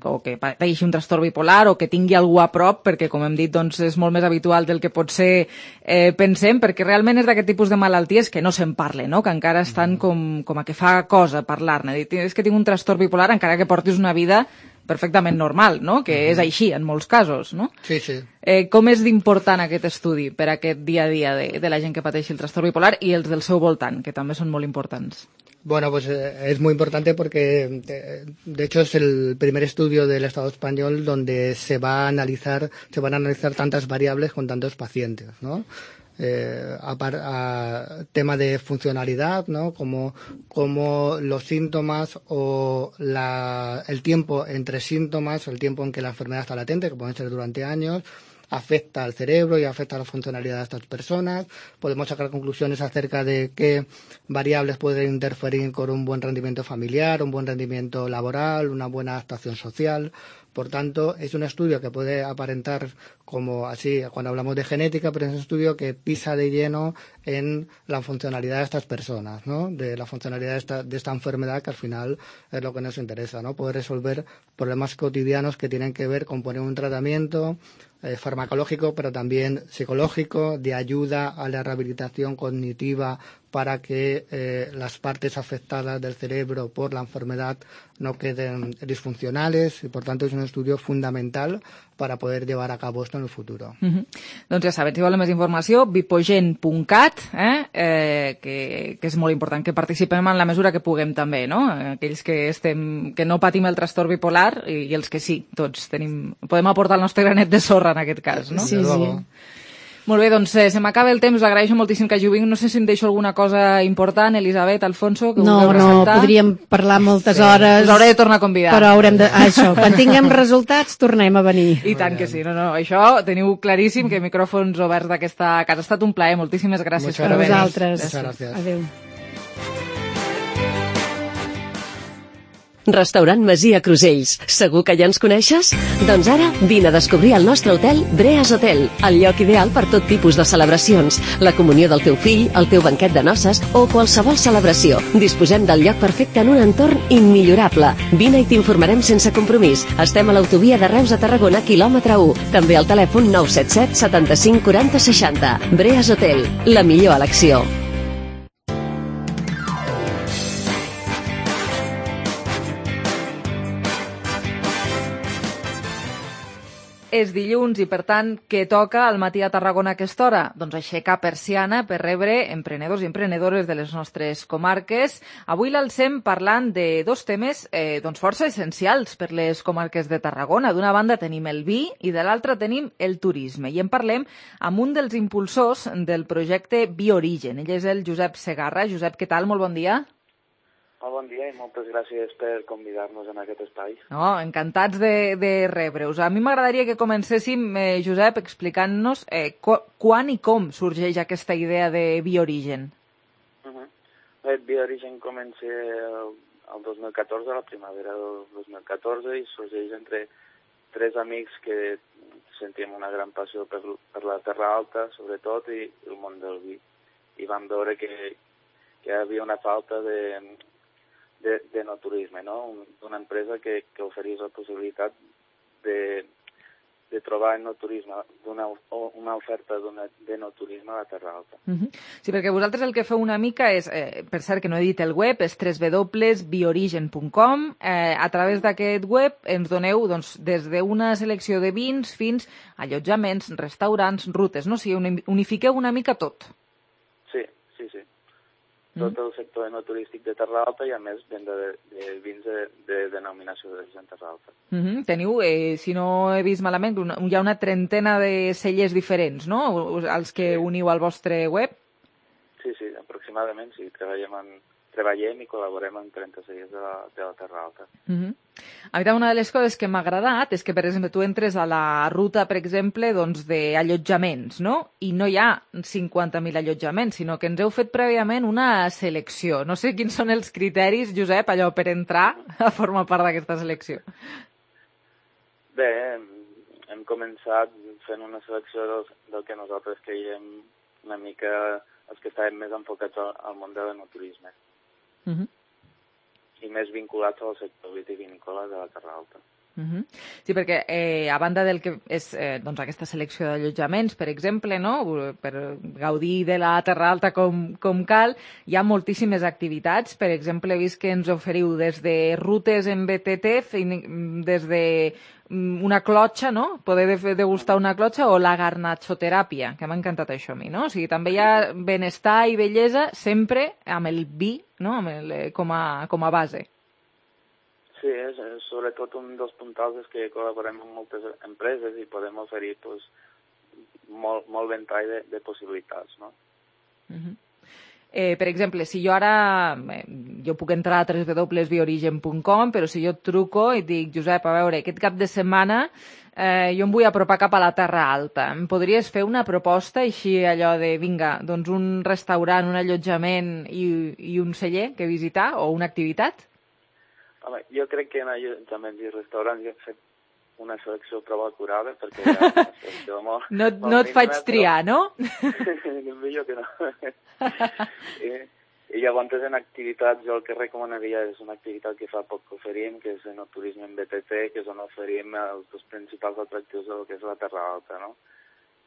o que pateixi un trastorn bipolar o que tingui algú a prop, perquè com hem dit doncs, és molt més habitual del que pot ser eh, pensem, perquè realment és d'aquest tipus de malalties que no se'n parla, no? Que encara estan com, com a que fa cosa parlar-ne. És que tinc un trastorn bipolar encara que portis una vida perfectament normal, no? Que és així en molts casos, no? Sí, sí. Eh, com és d'important aquest estudi per a aquest dia a dia de, de la gent que pateixi el trastorn bipolar i els del seu voltant, que també són molt importants? Bueno, pues eh, es muy importante porque, de, de hecho, es el primer estudio del Estado español donde se va a analizar, se van a analizar tantas variables con tantos pacientes, ¿no? Eh, a, a tema de funcionalidad, ¿no? Como, como los síntomas o la, el tiempo entre síntomas, el tiempo en que la enfermedad está latente, que pueden ser durante años, afecta al cerebro y afecta a la funcionalidad de estas personas. Podemos sacar conclusiones acerca de qué variables pueden interferir con un buen rendimiento familiar, un buen rendimiento laboral, una buena adaptación social. Por tanto, es un estudio que puede aparentar como así cuando hablamos de genética, pero es un estudio que pisa de lleno en la funcionalidad de estas personas, ¿no? De la funcionalidad de esta, de esta enfermedad, que al final es lo que nos interesa, ¿no? Poder resolver problemas cotidianos que tienen que ver con poner un tratamiento eh, farmacológico, pero también psicológico, de ayuda a la rehabilitación cognitiva para que eh, las partes afectadas del cerebro por la enfermedad no queden disfuncionales, y por tanto es un estudio fundamental para poder llevar a cabo esto en el futuro. Uh-huh. Doncs ja saben, si volen més informació, bipogen punt cat, eh? Eh, que, que és molt important que participem en la mesura que puguem també, no? Aquells que, estem, que no patim el trastorn bipolar i, i els que sí, tots tenim, podem aportar el nostre granet de sorra en aquest cas, no? Sí, sí. Molt bé, doncs eh, se m'acaba el temps, us agraeixo moltíssim que juguin. No sé si em deixo alguna cosa important, Elisabet, Alfonso, que no, us heu presentat. No, podríem parlar moltes sí. hores. Us hauré de tornar a convidar. Però haurem de... Ah, això, quan tinguem resultats tornem a venir. I tant que sí, no, no, això teniu claríssim que micròfons oberts d'aquesta casa. Ha estat un plaer, moltíssimes gràcies Muchas per venir. A vosaltres. Adéu. Restaurant Masia Crusells. Segur que ja ens coneixes? Doncs ara vine a descobrir el nostre hotel Breas Hotel, el lloc ideal per tot tipus de celebracions, la comunió del teu fill, el teu banquet de noces o qualsevol celebració. Disposem del lloc perfecte en un entorn immillorable. Vine i t'informarem sense compromís. Estem a l'autovia de Reus a Tarragona, quilòmetre u. També al telèfon nou set set setanta-cinc quaranta seixanta. Breas Hotel, la millor elecció. És dilluns i, per tant, què toca al matí a Tarragona a aquesta hora? Doncs aixecar persiana per rebre emprenedors i emprenedores de les nostres comarques. Avui l'alcem parlant de dos temes eh, doncs força essencials per les comarques de Tarragona. D'una banda tenim el vi i de l'altra tenim el turisme. I en parlem amb un dels impulsors del projecte Biorigen. Ell és el Josep Segarra. Josep, què tal? Molt bon dia. Molt bon dia i moltes gràcies per convidar-nos en aquest espai. No, encantats de, de rebre-us. A mi m'agradaria que comencéssim, eh, Josep, explicant-nos eh, quan i com sorgeix aquesta idea de Biorigen. Uh-huh. Bé, Biorigen comença el, el dos mil catorze, la primavera del dos mil catorze, i sorgeix entre tres amics que sentim una gran passió per, per la Terra Alta, sobretot, i el món del vi. I vam veure que, que hi havia una falta de... de, de no turisme, no? Una empresa que, que oferís la possibilitat de, de trobar en no turisme una, una oferta de no turisme a la Terra Alta. Uh-huh. Sí, perquè vosaltres el que feu una mica és, eh, per cert que no he dit el web, és w w w punt biorigen punt com. Eh, a través d'aquest web ens doneu doncs, des d'una selecció de vins fins a allotjaments, restaurants, rutes, no? O sigui, unifiqueu una mica tot. Sí, sí, sí. Tot el sector no turístic de Terra Alta i, a més, venda de, de vins de, de denominació d'origen Terra Alta. Uh -huh. Teniu, eh, si no he vist malament, una, hi ha una trentena de cellers diferents, no?, els que uniu al vostre web? Sí, sí, aproximadament, sí. Treballem, en, treballem i col·laborem amb trenta cellers de la, de la Terra Alta. Uh -huh. A mi una de les coses que m'ha agradat és que, per exemple, tu entres a la ruta, per exemple, doncs, d'allotjaments, no? I no hi ha cinquanta mil allotjaments, sinó que ens heu fet prèviament una selecció. No sé quins són els criteris, Josep, allò per entrar a formar part d'aquesta selecció. Bé, hem, hem començat fent una selecció del, del que nosaltres creiem una mica els que estàvem més enfocats al, al món de l'enoturisme. Uh -huh. I més vinculats al sector vitivinícola de la Terra Alta. Uh-huh. Sí, perquè eh, a banda del que és eh, doncs aquesta selecció d'allotjaments, per exemple, no? Per gaudir de la Terra Alta com, com cal, hi ha moltíssimes activitats. Per exemple, he vist que ens oferiu des de rutes en B T T, des de una clotxa, no? Poder degustar una clotxa, o la garnatxoteràpia, que m'ha encantat això a mi, no? O sigui, també hi ha benestar i bellesa sempre amb el vi, no? Amb el, com, a, com a base. Sí, és, és sobretot un dels puntals és que col·laborem amb moltes empreses i podem oferir pues, molt, molt ventall de, de possibilitats, no? Uh-huh. Eh, per exemple, si jo ara, eh, jo puc entrar a w w w punt biorigen punt com, però si jo et truco i et dic, Josep, a veure, aquest cap de setmana eh, jo em vull apropar cap a la Terra Alta, em podries fer una proposta així allò de, vinga, doncs un restaurant, un allotjament i, i un celler que visitar, o una activitat? Home, jo crec que en allotjaments i restaurants ja he fet una selecció prou acurada, perquè ja una selecció molt... No, molt no et faig però... triar, no? Millor que no. I, I llavors en activitats jo el que recomanaria és una activitat que fa poc que oferim, que és en el turisme en B T T, que és on oferim els dos principals atractius del que és la Terra Alta, no?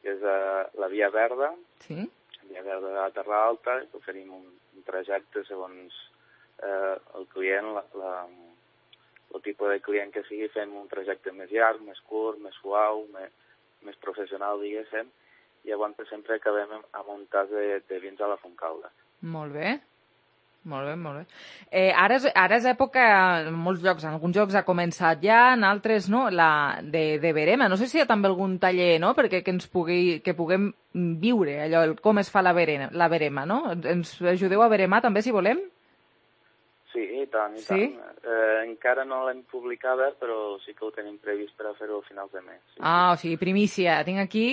Que és uh, la Via Verda, sí? la Via Verda de la Terra Alta, que oferim un, un trajecte segons eh, el client, la, la, el tipus de client que sigui, fem un trajecte més llarg, més curt, més suau, més, més professional, diguéssim, i llavors sempre acabem amb un tas de, de vins a la Fontcalda. Molt bé, molt bé, molt bé. Eh, ara, és, ara és època, en molts llocs, en alguns llocs ha començat ja, en altres no, la de, de verema. No sé si hi ha també algun taller, no?, perquè que ens pugui, que puguem viure allò, el, com es fa la verema, la verema, no? Ens ajudeu a veremar també, si volem? Sí, i tant, i sí? tant. Eh, encara no l'hem publicada, però sí que ho tenim previst per a fer-ho a finals de mes. Sí. Ah, o sigui, primícia. Tinc aquí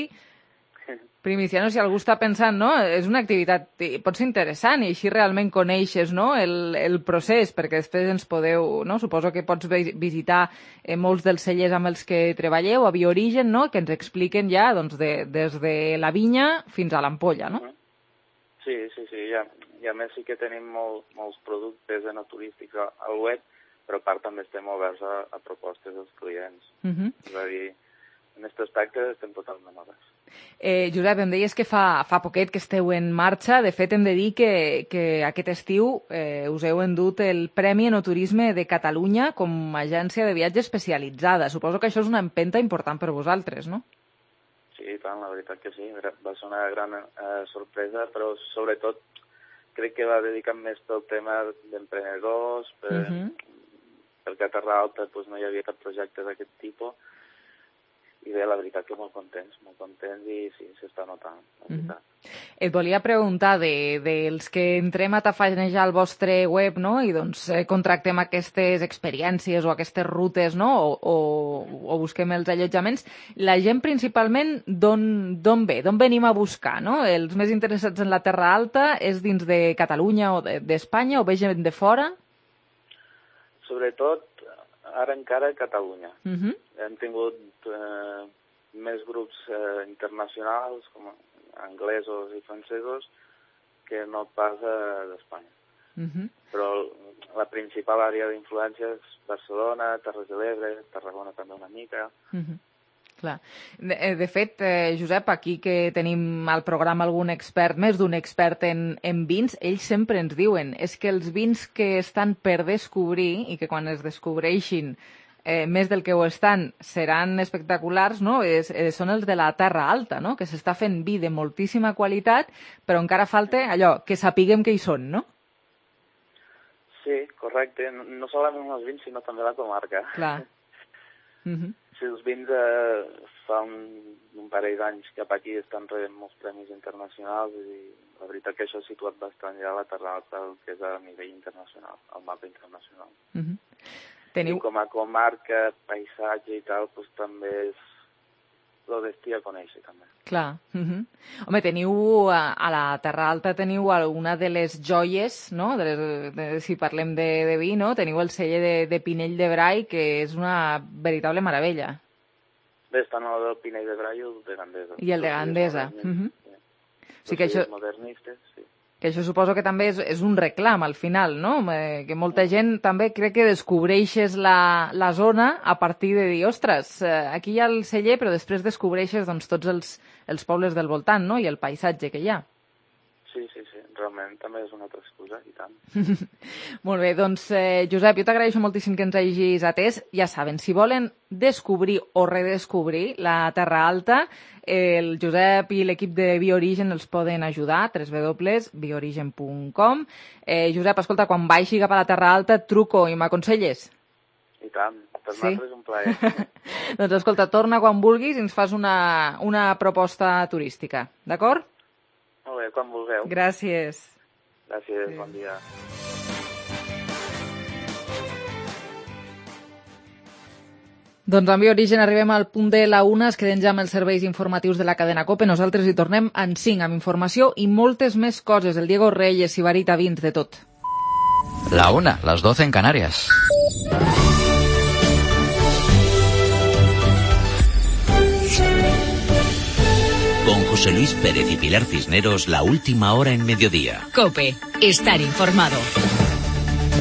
primícia, no? Si algú està pensant, no? És una activitat, pot ser interessant, i així realment coneixes, no?, el, el procés, perquè després ens podeu, no? Suposo que pots visitar eh, molts dels cellers amb els que treballeu, a Biorigen, no?, que ens expliquen ja, doncs, de, des de la vinya fins a l'ampolla, no? Sí, sí, sí, ja. I a més sí que tenim molt, molts productes enoturístics al web, però a part també estem oberts a, a propostes dels clients. Uh-huh. És a dir, en aquest aspecte estem totalment oberts. Eh, Josep, em deies que fa, fa poquet que esteu en marxa. De fet, hem de dir que, que aquest estiu eh, us heu endut el Premi Enoturisme de Catalunya com a agència de viatge especialitzada. Suposo que això és una empenta important per vosaltres, no? Sí, tant, la veritat que sí. Va ser una gran eh, sorpresa, però sobretot crec que va dedicat més pel tema d'emprenedors, per, uh-huh. perquè a Terra Alta pues, no hi havia cap projecte d'aquest tipus, i bé, la veritat que molt contents, molt contents, i sí, s'està notant, la veritat. Uh-huh. Et volia preguntar de, dels que entrem a tafanejar el vostre web, no?, i doncs eh, contractem aquestes experiències o aquestes rutes, no?, o, o, o busquem els allotjaments, la gent principalment d'on ve, d'on venim a buscar, no? Els més interessats en la Terra Alta és dins de Catalunya o d'Espanya, o ve gent de fora? Sobretot, ara encara a Catalunya. Uh-huh. Hem tingut eh, més grups eh, internacionals, com anglesos i francesos, que no pas eh, d'Espanya. Uh-huh. Però la principal àrea d'influència és Barcelona, Terres de l'Ebre, Tarragona també una mica. Uh-huh. Clar. De, de fet, eh, Josep, aquí que tenim al programa algun expert, més d'un expert en, en vins, ells sempre ens diuen és que els vins que estan per descobrir i que quan es descobreixin eh, més del que ho estan seran espectaculars, no? Es, eh, són els de la Terra Alta, no? Que s'està fent vi de moltíssima qualitat, però encara falta allò, que sapiguem que hi són, no? Sí, correcte. No, no solament els vins, sinó també la comarca. Clar. Uh-huh. Sí, els vins eh, fa un, un parell d'anys cap aquí estan rebent molts premis internacionals i la veritat que això ha situat bastant ja la Terra Alta, el que és a nivell internacional, al mapa internacional. Uh-huh. Teniu... I com a comarca, paisatge i tal, doncs també és el destí a conèixer, també. Clar. Uh-huh. Home, teniu, a, a la Terra Alta teniu una de les joies, no? De les, de, si parlem de, de vi, no? Teniu el celler de, de Pinell de Brai, que és una veritable meravella. Bé, estan el del Pinell de Brai i el de Gandesa. I el de Gandesa. Uh-huh. Sí. O sigui que això... modernistes, sí. Que això suposo que també és, és un reclam al final, no? Eh, que molta gent també crec que descobreixes la, la zona a partir de dir, ostres, eh, aquí hi ha el celler, però després descobreixes doncs, tots els, els pobles del voltant, no? I el paisatge que hi ha. Sí, sí, sí, realment també és una altra excusa, i tant. Molt bé, doncs, eh, Josep, jo t'agraeixo moltíssim que ens hagis atès. Ja saben, si volen descobrir o redescobrir la Terra Alta, el Josep i l'equip de Bioorigen els poden ajudar, w w w punt bioorigen punt com. Eh, Josep, escolta, quan baixi cap a la Terra Alta, et truco i m'aconselles? I tant, per Sí? nosaltres és un plaer. Doncs escolta, torna quan vulguis i ens fas una, una proposta turística, d'acord? Molt bé, quan vulgueu. Gràcies. Gràcies, bon dia. Doncs amb Bioorigen arribem al punt de la una, es queden ja amb els serveis informatius de la cadena COPE. Nosaltres hi tornem en cinc amb informació i moltes més coses. El Diego Reyes, Sibarita, Vins, de tot. La una, las doce en Canarias. Con José Luis Pérez y Pilar Cisneros, la última hora en mediodía. COPE, estar informado.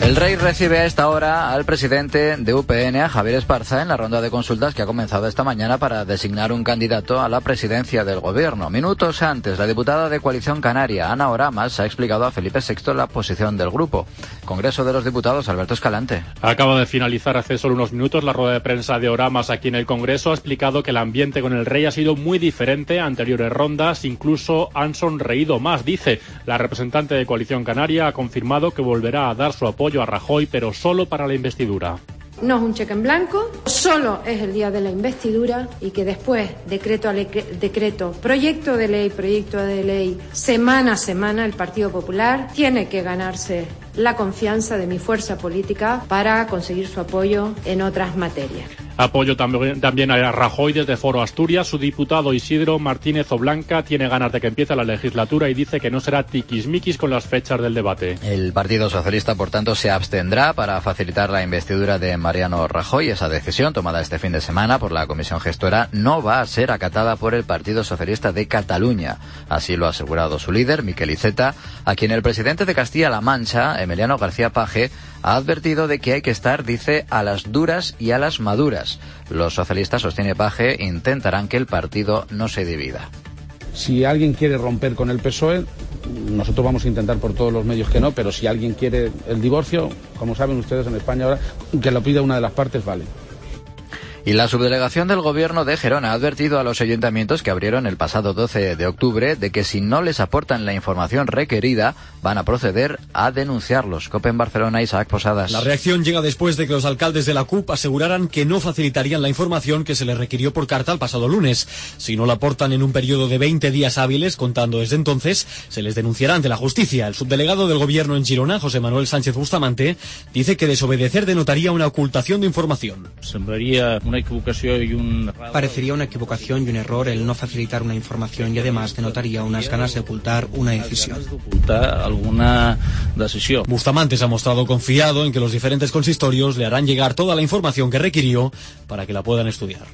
El Rey recibe a esta hora al presidente de U P N, a Javier Esparza, en la ronda de consultas que ha comenzado esta mañana para designar un candidato a la presidencia del gobierno. Minutos antes, la diputada de Coalición Canaria, Ana Oramas, ha explicado a Felipe sexto la posición del grupo. Congreso de los Diputados, Alberto Escalante. Acaba de finalizar hace solo unos minutos la rueda de prensa de Oramas aquí en el Congreso. Ha explicado que el ambiente con el Rey ha sido muy diferente a anteriores rondas, incluso han sonreído más, dice. La representante de Coalición Canaria ha confirmado que volverá a dar su apoyo a Rajoy, pero solo para la investidura. No es un cheque en blanco, solo es el día de la investidura y que después, decreto a decreto, proyecto de ley, proyecto de ley, semana a semana, el Partido Popular tiene que ganarse la confianza de mi fuerza política para conseguir su apoyo en otras materias. Apoyo también, también a Rajoy desde Foro Asturias. Su diputado Isidro Martínez Oblanca tiene ganas de que empiece la legislatura y dice que no será tiquismiquis con las fechas del debate. El Partido Socialista, por tanto, se abstendrá para facilitar la investidura de Mariano Rajoy. Esa decisión, tomada este fin de semana por la Comisión Gestora, no va a ser acatada por el Partido Socialista de Cataluña. Así lo ha asegurado su líder, Miquel Iceta, a quien el presidente de Castilla-La Mancha, Emiliano García Paje, ha advertido de que hay que estar, dice, a las duras y a las maduras. Los socialistas, sostiene Paje, intentarán que el partido no se divida. Si alguien quiere romper con el P S O E, nosotros vamos a intentar por todos los medios que no, pero si alguien quiere el divorcio, como saben ustedes en España ahora, que lo pida una de las partes, vale. Y la subdelegación del gobierno de Gerona ha advertido a los ayuntamientos que abrieron el pasado doce de octubre de que si no les aportan la información requerida van a proceder a denunciarlos. COPE en Barcelona, Isaac Posadas. La reacción llega después de que los alcaldes de la C U P aseguraran que no facilitarían la información que se les requirió por carta el pasado lunes. Si no la aportan en un periodo de veinte días hábiles, contando desde entonces, se les denunciará ante la justicia. El subdelegado del gobierno en Girona, José Manuel Sánchez Bustamante, dice que desobedecer denotaría una ocultación de información. Semblaría una equivocación y un... Parecería una equivocación y un error el no facilitar una información y además denotaría unas ganas de ocultar una decisión. Ocultar alguna decisión. Bustamante se ha mostrado confiado en que los diferentes consistorios le harán llegar toda la información que requirió para que la puedan estudiar.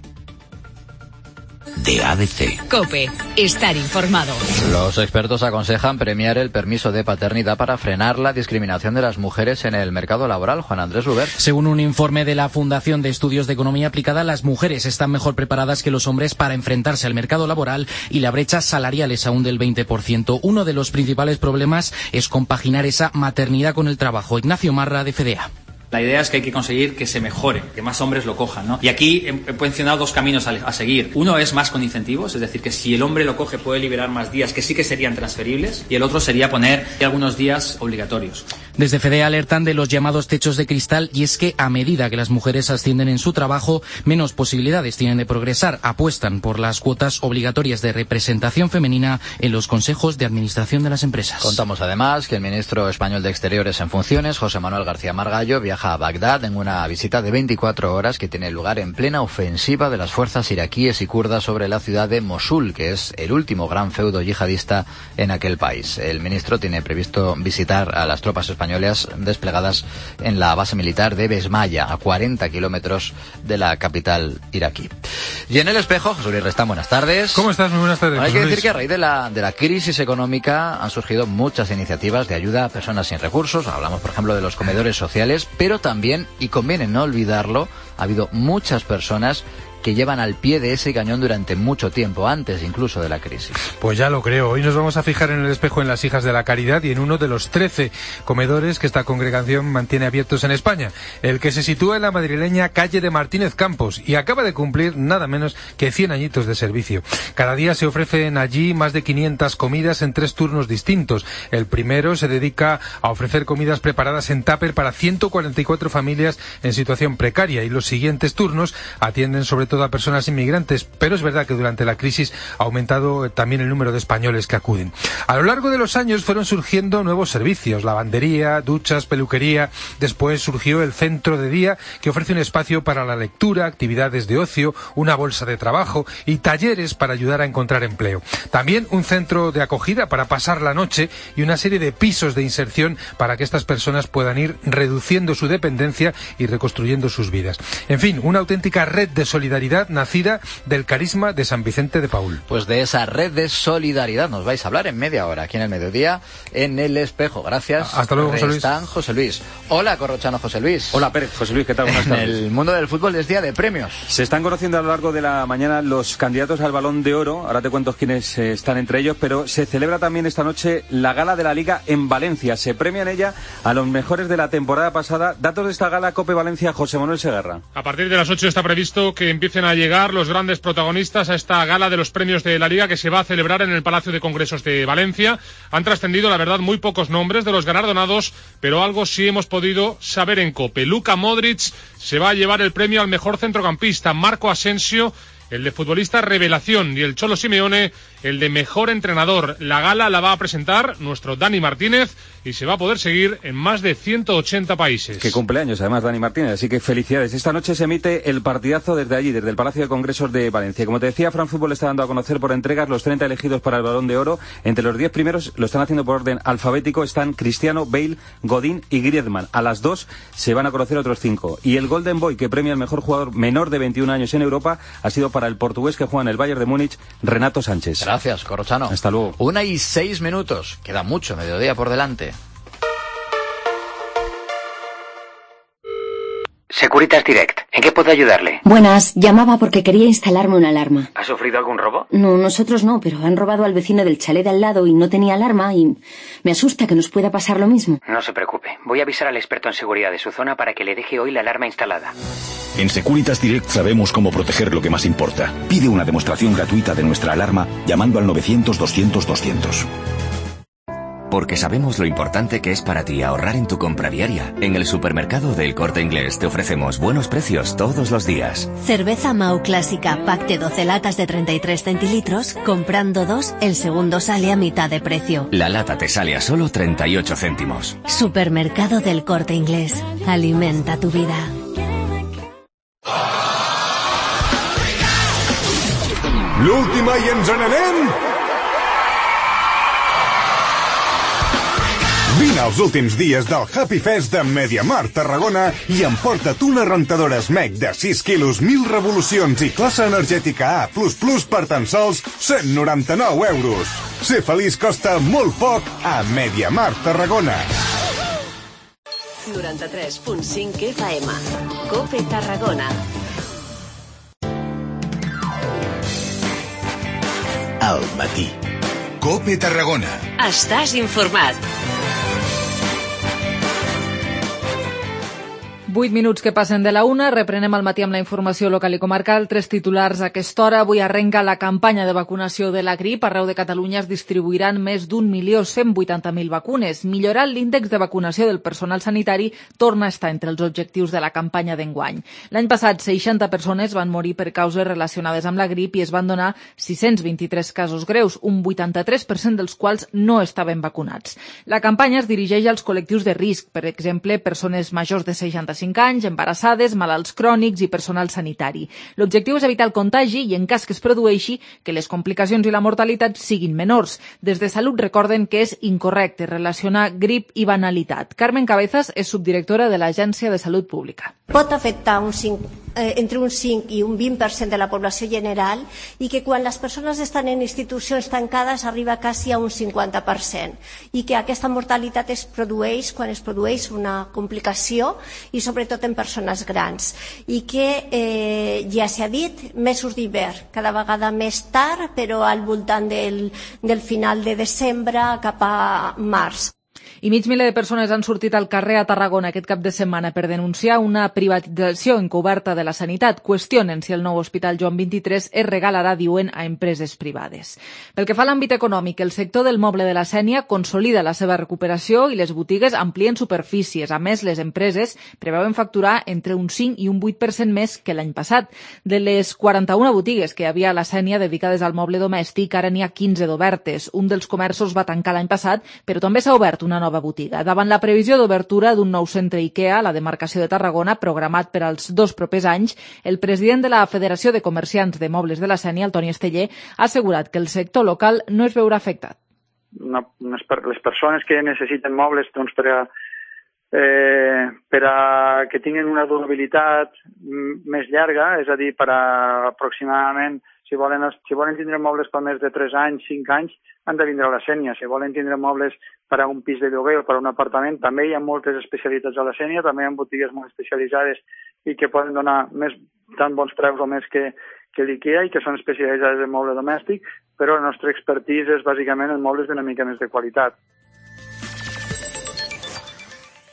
De A B C. COPE, estar informado. Los expertos aconsejan premiar el permiso de paternidad para frenar la discriminación de las mujeres en el mercado laboral. Juan Andrés Ruber. Según un informe de la Fundación de Estudios de Economía Aplicada, las mujeres están mejor preparadas que los hombres para enfrentarse al mercado laboral y la brecha salarial es aún del veinte por ciento. Uno de los principales problemas es compaginar esa maternidad con el trabajo. Ignacio Marra, de F D A. La idea es que hay que conseguir que se mejore, que más hombres lo cojan, ¿no? Y aquí he mencionado dos caminos a, a seguir. Uno es más con incentivos, es decir, que si el hombre lo coge puede liberar más días que sí que serían transferibles, y el otro sería poner algunos días obligatorios. Desde F D A alertan de los llamados techos de cristal y es que a medida que las mujeres ascienden en su trabajo, menos posibilidades tienen de progresar. Apuestan por las cuotas obligatorias de representación femenina en los consejos de administración de las empresas. Contamos además que el ministro español de Exteriores en funciones, José Manuel García Margallo, viaja viaja a Bagdad en una visita de veinticuatro horas que tiene lugar en plena ofensiva de las fuerzas iraquíes y kurdas sobre la ciudad de Mosul, que es el último gran feudo yihadista en aquel país. El ministro tiene previsto visitar a las tropas españolas desplegadas en la base militar de Besmaya, a cuarenta kilómetros de la capital iraquí. Y en el espejo, José Luis Restán, buenas tardes. ¿Cómo estás? Muy buenas tardes. Hay que Luis. decir que a raíz de la, de la crisis económica han surgido muchas iniciativas de ayuda a personas sin recursos. Hablamos, por ejemplo, de los comedores sociales, pero también, y conviene no olvidarlo, ha habido muchas personas que llevan al pie de ese cañón durante mucho tiempo, antes incluso de la crisis. Pues ya lo creo. Hoy nos vamos a fijar en el espejo en las Hijas de la Caridad y en uno de los trece comedores que esta congregación mantiene abiertos en España, el que se sitúa en la madrileña calle de Martínez Campos y acaba de cumplir nada menos que cien añitos de servicio. Cada día se ofrecen allí más de quinientas comidas en tres turnos distintos. El primero se dedica a ofrecer comidas preparadas en tupper para ciento cuarenta y cuatro familias en situación precaria y los siguientes turnos atienden sobre todo a personas inmigrantes, pero es verdad que durante la crisis ha aumentado también el número de españoles que acuden. A lo largo de los años fueron surgiendo nuevos servicios, lavandería, duchas, peluquería. Después surgió el centro de día, que ofrece un espacio para la lectura, actividades de ocio, una bolsa de trabajo y talleres para ayudar a encontrar empleo. También un centro de acogida para pasar la noche y una serie de pisos de inserción para que estas personas puedan ir reduciendo su dependencia y reconstruyendo sus vidas. En fin, una auténtica red de solidaridad nacida del carisma de San Vicente de Paúl. Pues de esa red de solidaridad nos vais a hablar en media hora, aquí en el mediodía, en el espejo. Gracias. Hasta luego, José Luis. Están José Luis. Hola, Corrochano José Luis. Hola, Pérez. José Luis, ¿qué tal? Buenas tardes. En el mundo del fútbol es día de premios. Se están conociendo a lo largo de la mañana los candidatos al Balón de Oro. Ahora te cuento quiénes eh, están entre ellos, pero se celebra también esta noche la gala de la Liga en Valencia. Se premia en ella a los mejores de la temporada pasada. Datos de esta gala, Cope Valencia, José Manuel Segarra. A partir de las ocho está previsto que empiecen a llegar los grandes protagonistas a esta gala de los premios de la Liga que se va a celebrar en el Palacio de Congresos de Valencia. Han trascendido, la verdad, muy pocos nombres de los galardonados, pero algo sí hemos podido saber en COPE. Luka Modric se va a llevar el premio al mejor centrocampista, Marco Asensio el de futbolista revelación y el Cholo Simeone el de mejor entrenador. La gala la va a presentar nuestro Dani Martínez y se va a poder seguir en más de ciento ochenta países. Que cumpleaños además Dani Martínez, así que felicidades. Esta noche se emite el partidazo desde allí, desde el Palacio de Congresos de Valencia. Como te decía, Fran Fútbol está dando a conocer por entregas los treinta elegidos para el Balón de Oro. Entre los diez primeros lo están haciendo por orden alfabético, están Cristiano, Bale, Godín y Griezmann. A las dos se van a conocer otros cinco. Y el Golden Boy, que premia al mejor jugador menor de veintiún años en Europa, ha sido para el portugués que juega en el Bayern de Múnich, Renato Sánchez. Gracias, Corrochano. Hasta luego. Una y seis minutos. Queda mucho, mediodía por delante. Securitas Direct, ¿en qué puedo ayudarle? Buenas, llamaba porque quería instalarme una alarma. ¿Ha sufrido algún robo? No, nosotros no, pero han robado al vecino del chalet de al lado y no tenía alarma y me asusta que nos pueda pasar lo mismo. No se preocupe, voy a avisar al experto en seguridad de su zona para que le deje hoy la alarma instalada. En Securitas Direct sabemos cómo proteger lo que más importa. Pide una demostración gratuita de nuestra alarma llamando al novecientos doscientos doscientos. Porque sabemos lo importante que es para ti ahorrar en tu compra diaria. En el supermercado del Corte Inglés te ofrecemos buenos precios todos los días. Cerveza Mau Clásica, pack de doce latas de treinta y tres centilitros. Comprando dos, el segundo sale a mitad de precio. La lata te sale a solo treinta y ocho céntimos. Supermercado del Corte Inglés. Alimenta tu vida. L'última i ens n'anem? Vine als últims dies del Happy Fest de MediaMarkt Tarragona i emporta't una rentadora Smeg de sis quilos, mil revolucions i classe energètica A plus plus per tan sols cent noranta-nou euros. Ser feliç costa molt poc a MediaMarkt Tarragona. noranta-tres punt cinc F M. COPE Tarragona. Al matí. COPE Tarragona. Estàs informat. Vuit minuts que passen de la una, reprenem al matí amb la informació local i comarcal. Tres titulars a aquesta hora. Avui arrenca la campanya de vacunació de la grip. Arreu de Catalunya es distribuiran més d'un milió cent vuitanta mil vacunes. Millorar l'índex de vacunació del personal sanitari torna a estar entre els objectius de la campanya d'enguany. L'any passat, seixanta persones van morir per causes relacionades amb la grip i es van donar sis-cents vint-i-tres casos greus, un vuitanta-tres per cent dels quals no estaven vacunats. La campanya es dirigeix als col·lectius de risc, per exemple, persones majors de seixanta-cinc anys, embarassades, malalts crònics i personal sanitari. L'objectiu és evitar el contagi i, en cas que es produeixi, que les complicacions i la mortalitat siguin menors. Des de Salut recorden que és incorrecte relacionar grip i banalitat. Carmen Cabezas és subdirectora de l'Agència de Salut Pública. Pot afectar un cinc, eh, entre un cinc i un vint per cent de la població general i que quan les persones estan en institucions tancades arriba quasi a un cinquanta per cent i que aquesta mortalitat es produeix quan es produeix una complicació i sobretot en persones grans i que eh, ja s'ha dit, mesos d'hivern, cada vegada més tard, però al voltant del, del final de desembre cap a març. I mig miler de persones han sortit al carrer a Tarragona aquest cap de setmana per denunciar una privatització encoberta de la sanitat. Qüestionen si el nou Hospital Joan vint-i-tres es regalarà, diuen, a empreses privades. Pel que fa a l'àmbit econòmic, el sector del moble de la Sénia consolida la seva recuperació i les botigues amplien superfícies. A més, les empreses preveuen facturar entre un cinc i un vuit per cent més que l'any passat. De les quaranta-una botigues que hi havia a la Sénia dedicades al moble domèstic, ara n'hi ha quinze d'obertes. Un dels comerços va tancar l'any passat, però també s'ha obert una nova nova botiga. Davant la previsió d'obertura d'un nou centre IKEA a la demarcació de Tarragona, programat per als dos propers anys, el president de la Federació de Comerciants de Mobles de la Sénia, el Toni Esteller, ha assegurat que el sector local no es veurà afectat. Una, les persones que necessiten mobles doncs, per, a, eh, per a que tinguin una durabilitat més llarga, és a dir, per a aproximadament, si volen, si volen tindre mobles per més de tres anys, cinc anys, han de vindre a la Sénia. Si volen tindre mobles per a un pis de lloguer o per a un apartament, també hi ha moltes especialitats a la Sénia, també hi ha botigues molt especialitzades i que poden donar més, tan bons preus o més que, que l'IKEA i que són especialitzades en moble domèstic, però la nostra expertise és bàsicament en mobles d'una mica més de qualitat.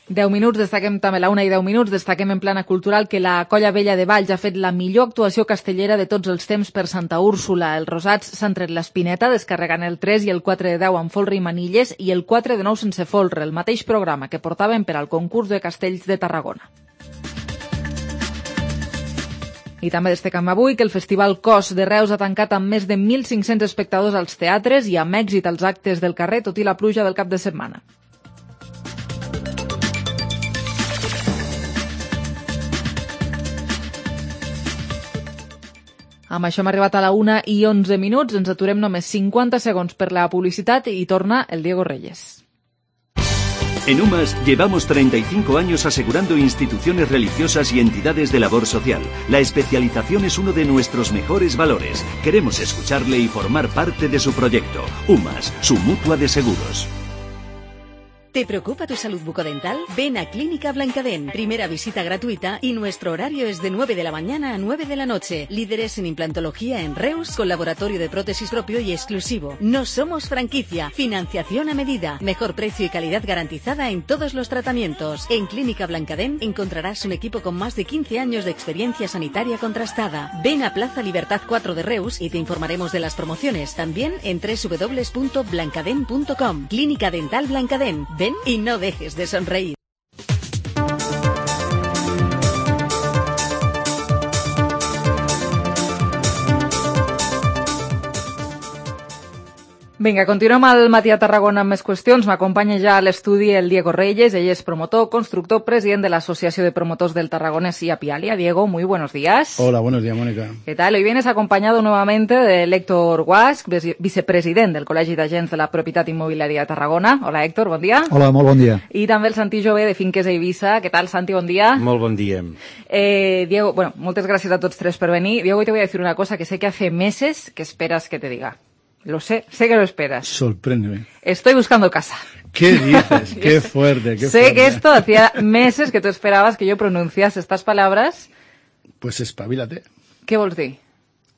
deu minuts, destaquem també la una i deu minuts, destaquem en plana cultural que la Colla Vella de Valls ha fet la millor actuació castellera de tots els temps per Santa Úrsula. Els rosats s'han tret l'espineta descarregant el tres i el quatre de deu amb folre i manilles i el quatre de nou sense folre, el mateix programa que portaven per al concurs de castells de Tarragona. I també destaquem avui que el Festival Cos de Reus ha tancat amb més de mil cinc-cents espectadors als teatres i amb èxit als actes del carrer, tot i la pluja del cap de setmana. Amb això hem arribat a la una i onze minuts, ens aturem només cincuenta segons per la publicitat i torna el Diego Reyes. En UMAS llevamos treinta y cinco años asegurando instituciones religiosas y entidades de labor social. La especialización es uno de nuestros mejores valores. Queremos escucharle y formar parte de su proyecto. UMAS, su mutua de seguros. ¿Te preocupa tu salud bucodental? Ven a Clínica Blancadent. Primera visita gratuita y nuestro horario es de nueve de la mañana a nueve de la noche. Líderes en implantología en Reus con laboratorio de prótesis propio y exclusivo. No somos franquicia. Financiación a medida. Mejor precio y calidad garantizada en todos los tratamientos. En Clínica Blancadent encontrarás un equipo con más de quince años de experiencia sanitaria contrastada. Ven a Plaza Libertad cuatro de Reus y te informaremos de las promociones. También en doble u doble u doble u punto blancadent punto com. Clínica Dental Blancadent. Ven y no dejes de sonreír. Vinga, continuem al matí a Tarragona amb més qüestions. M'acompanya ja a l'estudi el Diego Reyes. Ell és promotor, constructor, president de la Asociación de Promotores del Tarragonés y Apialia. Diego, muy buenos días. Hola, buenos días, Mónica. ¿Qué tal? Hoy vienes acompañado nuevamente de Héctor Guasch, vicepresident del Col·legi d'Agents de la Propietat Immobiliària de Tarragona. Hola, Héctor, bon dia. Hola, molt bon dia. I també el Santi Jové de Finques a Eivissa. ¿Qué tal, Santi? Bon dia. Molt bon dia. Eh, Diego, bueno, muchas gracias a todos tres por venir. Diego, hoy te voy a decir una cosa que sé que hace meses que esperas que te diga. Lo sé, sé que lo esperas. Sorpréndeme. Estoy buscando casa. ¿Qué dices? Qué fuerte, qué sé fuerte. que esto hacía meses que tú esperabas que yo pronunciase estas palabras. Pues espabilate. ¿Qué vols dir?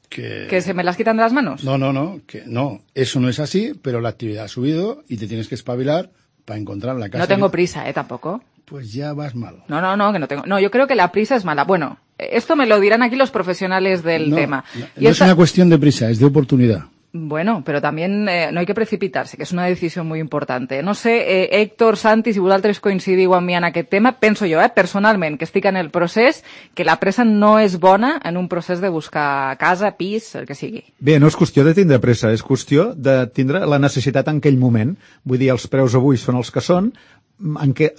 Que... ¿Que se me las quitan de las manos? No, no, no, que no, eso no es así, pero la actividad ha subido y te tienes que espabilar para encontrar la casa... No tengo prisa, ¿eh? Tampoco. Pues ya vas mal. No, no, no, que no tengo... No, yo creo que la prisa es mala. Bueno, esto me lo dirán aquí los profesionales del no, tema. No, y no esta... es una cuestión de prisa, es de oportunidad. Bueno, pero también eh, no hay que precipitarse, que és una decisió molt important. No sé, eh, Héctor, Santi, si vosaltres coincidiu amb mi en aquest tema, penso jo, eh, personalment, que estic en el procés, que la pressa no és bona en un procés de buscar casa, pis, el que sigui. Bé, no és qüestió de tindre pressa, és qüestió de tindre la necessitat en aquell moment. Vull dir, els preus avui són els que són, en què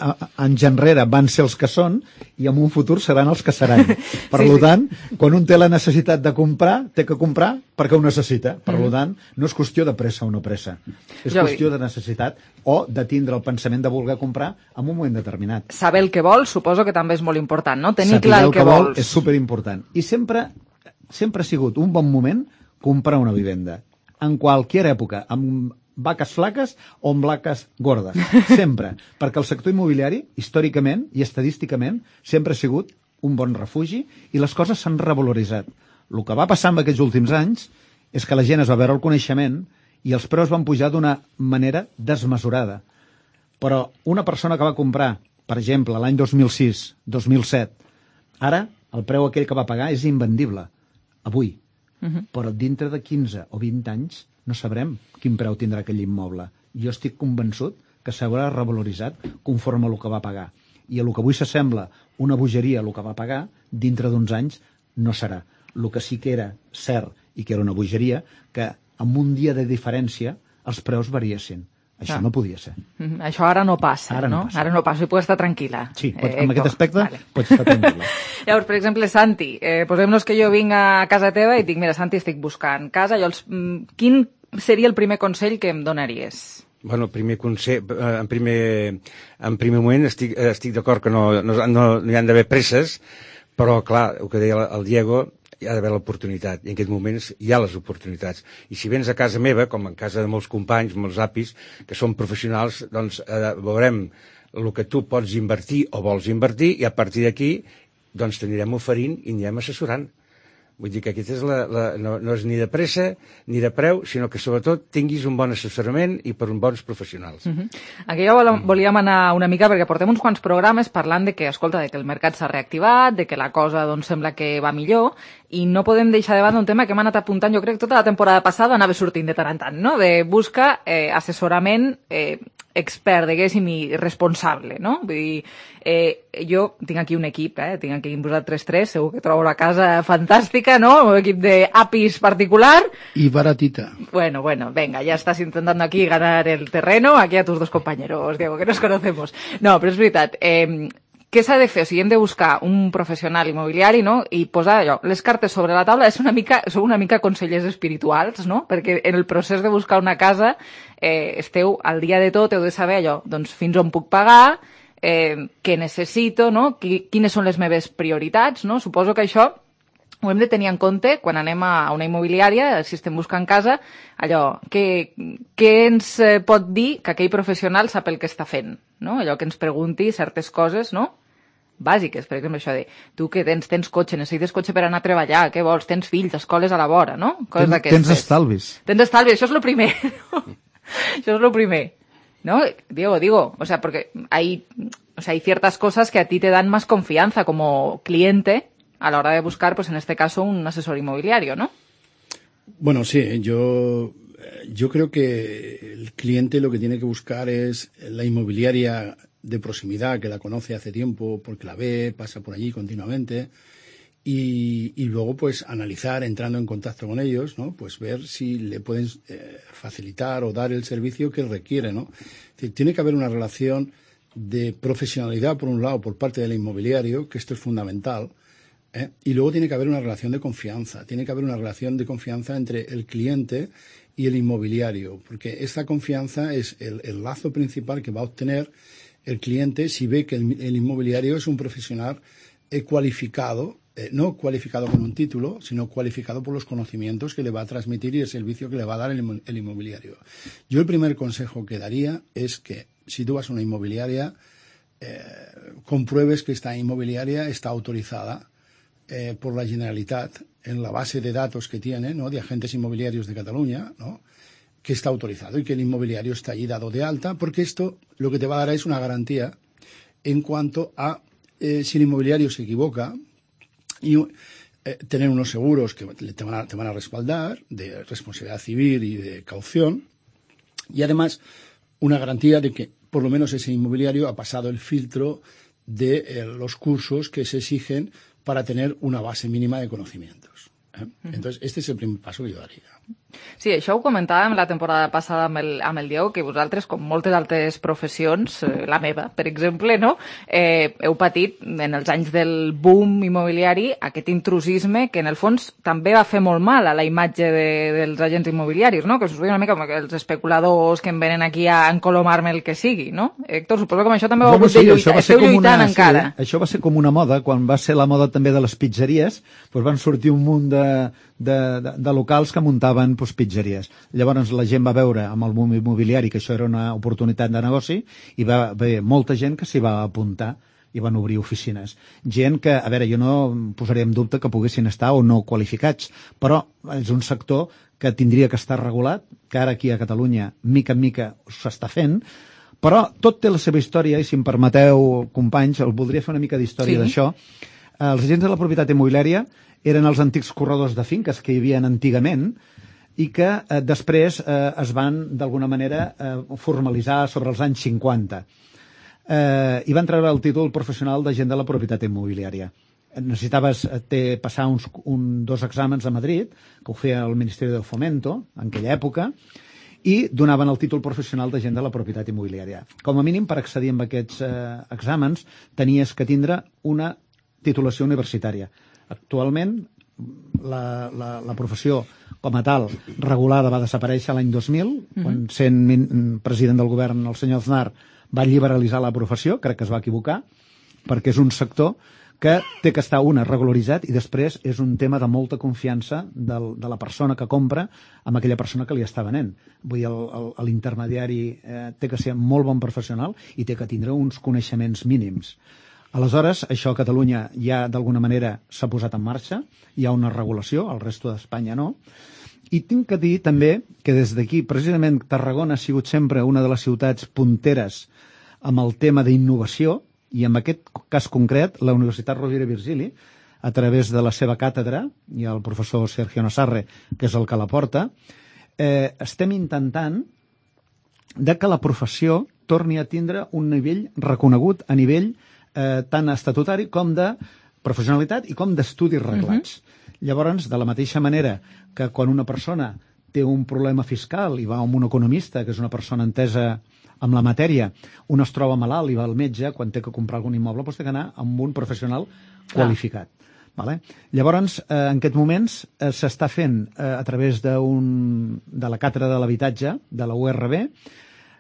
anys enrere van ser els que són i en un futur seran els que seran. Per sí, tant, sí. Quan un té la necessitat de comprar, té que comprar perquè ho necessita. Per mm. tant, no és qüestió de pressa o no pressa. És jo qüestió de necessitat o de tindre el pensament de voler comprar en un moment determinat. Saber el que vols, suposo que també és molt important, no? Tenir Saber clar el, el que, que vols. Vol és superimportant. I sempre, sempre ha sigut un bon moment comprar una vivenda. En qualsevol època, amb vaques flaques o amb vaques gordes. Sempre. Perquè el sector immobiliari, històricament i estadísticament, sempre ha sigut un bon refugi i les coses s'han revaloritzat. El que va passar en aquests últims anys és que la gent es va veure el coneixement i els preus van pujar d'una manera desmesurada. Però una persona que va comprar, per exemple, l'any dos mil sis, dos mil set, ara el preu aquell que va pagar és invendible. Avui. Uh-huh. Però dintre de quinze o vint anys no sabrem quin preu tindrà aquell immoble. Jo estic convençut que s'haurà revaloritzat conforme a el que va pagar. I a el que avui s'assembla una bogeria, el que va pagar, dintre d'uns anys no serà. El que sí que era cert i que era una bogeria, que amb un dia de diferència els preus variessin. Això ah. no podia ser. Mm-hmm. Això ara no passa, ara no? no passa. Ara no passa i puc estar tranquil·la. Sí, pots, eh, amb aquest aspecte vale. Pots estar tranquil·la. Llavors, per exemple, Santi, eh, posem-nos que jo vinc a casa teva i dic, mira, Santi, estic buscant casa. Jo els, quin seria el primer consell que em donaries? Bueno, el primer consell, en primer, en primer moment estic, estic d'acord que no, no, no, no hi han d'haver presses, però clar, el que deia el Diego, hi ha d'haver l'oportunitat, i en aquests moments hi ha les oportunitats. I si vens a casa meva, com en casa de molts companys, molts apis, que són professionals, doncs eh, veurem el que tu pots invertir o vols invertir, i a partir d'aquí doncs t'anirem oferint i anirem assessorant. Vull dir que aquesta és la, la, no, no és ni de pressa ni de preu, sinó que sobretot tinguis un bon assessorament i per uns bons professionals. Uh-huh. Aquí ja volíem anar una mica, perquè portem uns quants programes parlant de que, escolta, de que el mercat s'ha reactivat, de que la cosa doncs, sembla que va millor, i no podem deixar de banda un tema que hem anat apuntant, jo crec que tota la temporada passada anava sortint de tant en tant, no? De busca eh, assessorament eh, expert, diguéssim, i responsable, no? Vull dir, eh, jo tinc aquí un equip, eh? Tinc aquí vosaltres tres, segur que trobo la casa fantàstica, ¿no? Un equip de apis particular. Y baratita. Bueno, bueno, venga, ya estás intentando aquí ganar el terreno, aquí a tus dos compañeros, Diego, que nos conocemos. No, però és veritat, eh, què s'ha de fer? O sigui, hem de buscar un professional immobiliari, no?, i posar allò, les cartes sobre la taula. És una mica, sou una mica consellers espirituals, no?, perquè en el procés de buscar una casa eh, esteu al dia de tot, heu de saber allò, doncs fins on puc pagar, eh, què necessito, no?, quines són les meves prioritats, no? Suposo que això ho hem de tenir en compte quan anem a una immobiliària, si estem buscant casa, allò, què, què ens pot dir que aquell professional sap el que està fent, no? Allò que ens pregunti certes coses, no?, bàsiques, per exemple, això de tu que tens, tens cotxe, necessites cotxe per anar a treballar, què vols, tens fills, escoles a la vora, no? Coses d'aquestes. Tens estalvis. Tens estalvis, això és el primer. Això és el primer. ¿No? Diego, digo, o sea, porque hay, o sea, hay ciertas cosas que a ti te dan más confianza como cliente a la hora de buscar, pues en este caso, un asesor inmobiliario, ¿no? Bueno, sí, yo, yo creo que el cliente lo que tiene que buscar es la inmobiliaria de proximidad, que la conoce hace tiempo, porque la ve, pasa por allí continuamente, y, y luego pues analizar, entrando en contacto con ellos, ¿no? Pues ver si le pueden eh, facilitar o dar el servicio que requiere, ¿no? Es decir, tiene que haber una relación de profesionalidad, por un lado, por parte del inmobiliario, que esto es fundamental, ¿eh? Y luego tiene que haber una relación de confianza, tiene que haber una relación de confianza entre el cliente y el inmobiliario, porque esta confianza es el, el lazo principal que va a obtener el cliente si ve que el, el inmobiliario es un profesional eh, cualificado, eh, no cualificado con un título, sino cualificado por los conocimientos que le va a transmitir y el servicio que le va a dar el, el inmobiliario. Yo el primer consejo que daría es que si tú vas a una inmobiliaria, eh, compruebes que esta inmobiliaria está autorizada eh, por la Generalitat en la base de datos que tiene, ¿no?, de agentes inmobiliarios de Cataluña, ¿no?, que está autorizado y que el inmobiliario está ahí dado de alta, porque esto lo que te va a dar es una garantía en cuanto a eh, si el inmobiliario se equivoca y eh, tener unos seguros que te van, a, te van a respaldar de responsabilidad civil y de caución, y además una garantía de que por lo menos ese inmobiliario ha pasado el filtro de eh, los cursos que se exigen para tener una base mínima de conocimientos. ¿eh? Uh-huh. Entonces, este es el primer paso que yo daría. Sí, això ho comentàvem la temporada passada amb el, amb el Diego, que vosaltres, com moltes altres professions, eh, la meva, per exemple, no? eh, heu patit en els anys del boom immobiliari aquest intrusisme que en el fons també va fer molt mal a la imatge de, dels agents immobiliaris, no? Que us veia una mica com els especuladors que em venen aquí a encolomar-me el que sigui, no? Héctor, suposo que amb això també ho heu hagut de lluitar, esteu lluitant una, encara. Sí, això va ser com una moda, quan va ser la moda també de les pizzeries, doncs van sortir un munt de, de, de, de locals que muntaven doncs, pizzeries. Llavors la gent va veure amb el boom immobiliari que això era una oportunitat de negoci i va haver molta gent que s'hi va apuntar i van obrir oficines. Gent que, a veure, jo no posaré en dubte que poguessin estar o no qualificats, però és un sector que tindria que estar regulat, que ara aquí a Catalunya, mica en mica, s'està fent, però tot té la seva història, i si em permeteu, companys, el voldria fer una mica d'història sí. d'això. Els agents de la propietat immobiliària eren els antics corredors de finques que hi havia antigament i que eh, després eh, es van, d'alguna manera, eh, formalitzar sobre els anys cinquanta. Eh, I van treure el títol professional d'agent de la propietat immobiliària. Necessitaves eh, passar uns, un, dos exàmens a Madrid, que ho feia el Ministeri del Fomento, en aquella època, i donaven el títol professional d'agent de la propietat immobiliària. Com a mínim, per accedir a aquests eh, exàmens, tenies que tindre una titulació universitària. Actualment, la, la, la professió com a tal regulada va desaparèixer l'any dos mil, mm-hmm. quan sent president del govern el senyor Aznar va liberalitzar la professió, crec que es va equivocar, perquè és un sector que té que estar, una, regularitzat, i després és un tema de molta confiança del, de la persona que compra amb aquella persona que li està venent. Vull dir, l'intermediari eh, té que ser molt bon professional i té que tindre uns coneixements mínims. Aleshores, això a Catalunya ja d'alguna manera s'ha posat en marxa, hi ha una regulació, al resto d'Espanya no, i tinc que dir també que des d'aquí, precisament Tarragona ha sigut sempre una de les ciutats punteres amb el tema d'innovació, i en aquest cas concret, la Universitat Rovira i Virgili, a través de la seva càtedra, i el professor Sergio Nassarre, que és el que la porta, eh, estem intentant de que la professió torni a tindre un nivell reconegut a nivell Eh, tant estatutari com de professionalitat i com d'estudis reglats. Uh-huh. Llavors, de la mateixa manera que quan una persona té un problema fiscal i va amb un economista, que és una persona entesa amb la matèria, un es troba malalt i va al metge, quan té que comprar algun immoble, doncs té que anar amb un professional qualificat. Ah. Vale? Llavors, eh, en aquests moments eh, s'està fent eh, a través de, un, de la càtedra de l'habitatge, de la U R B,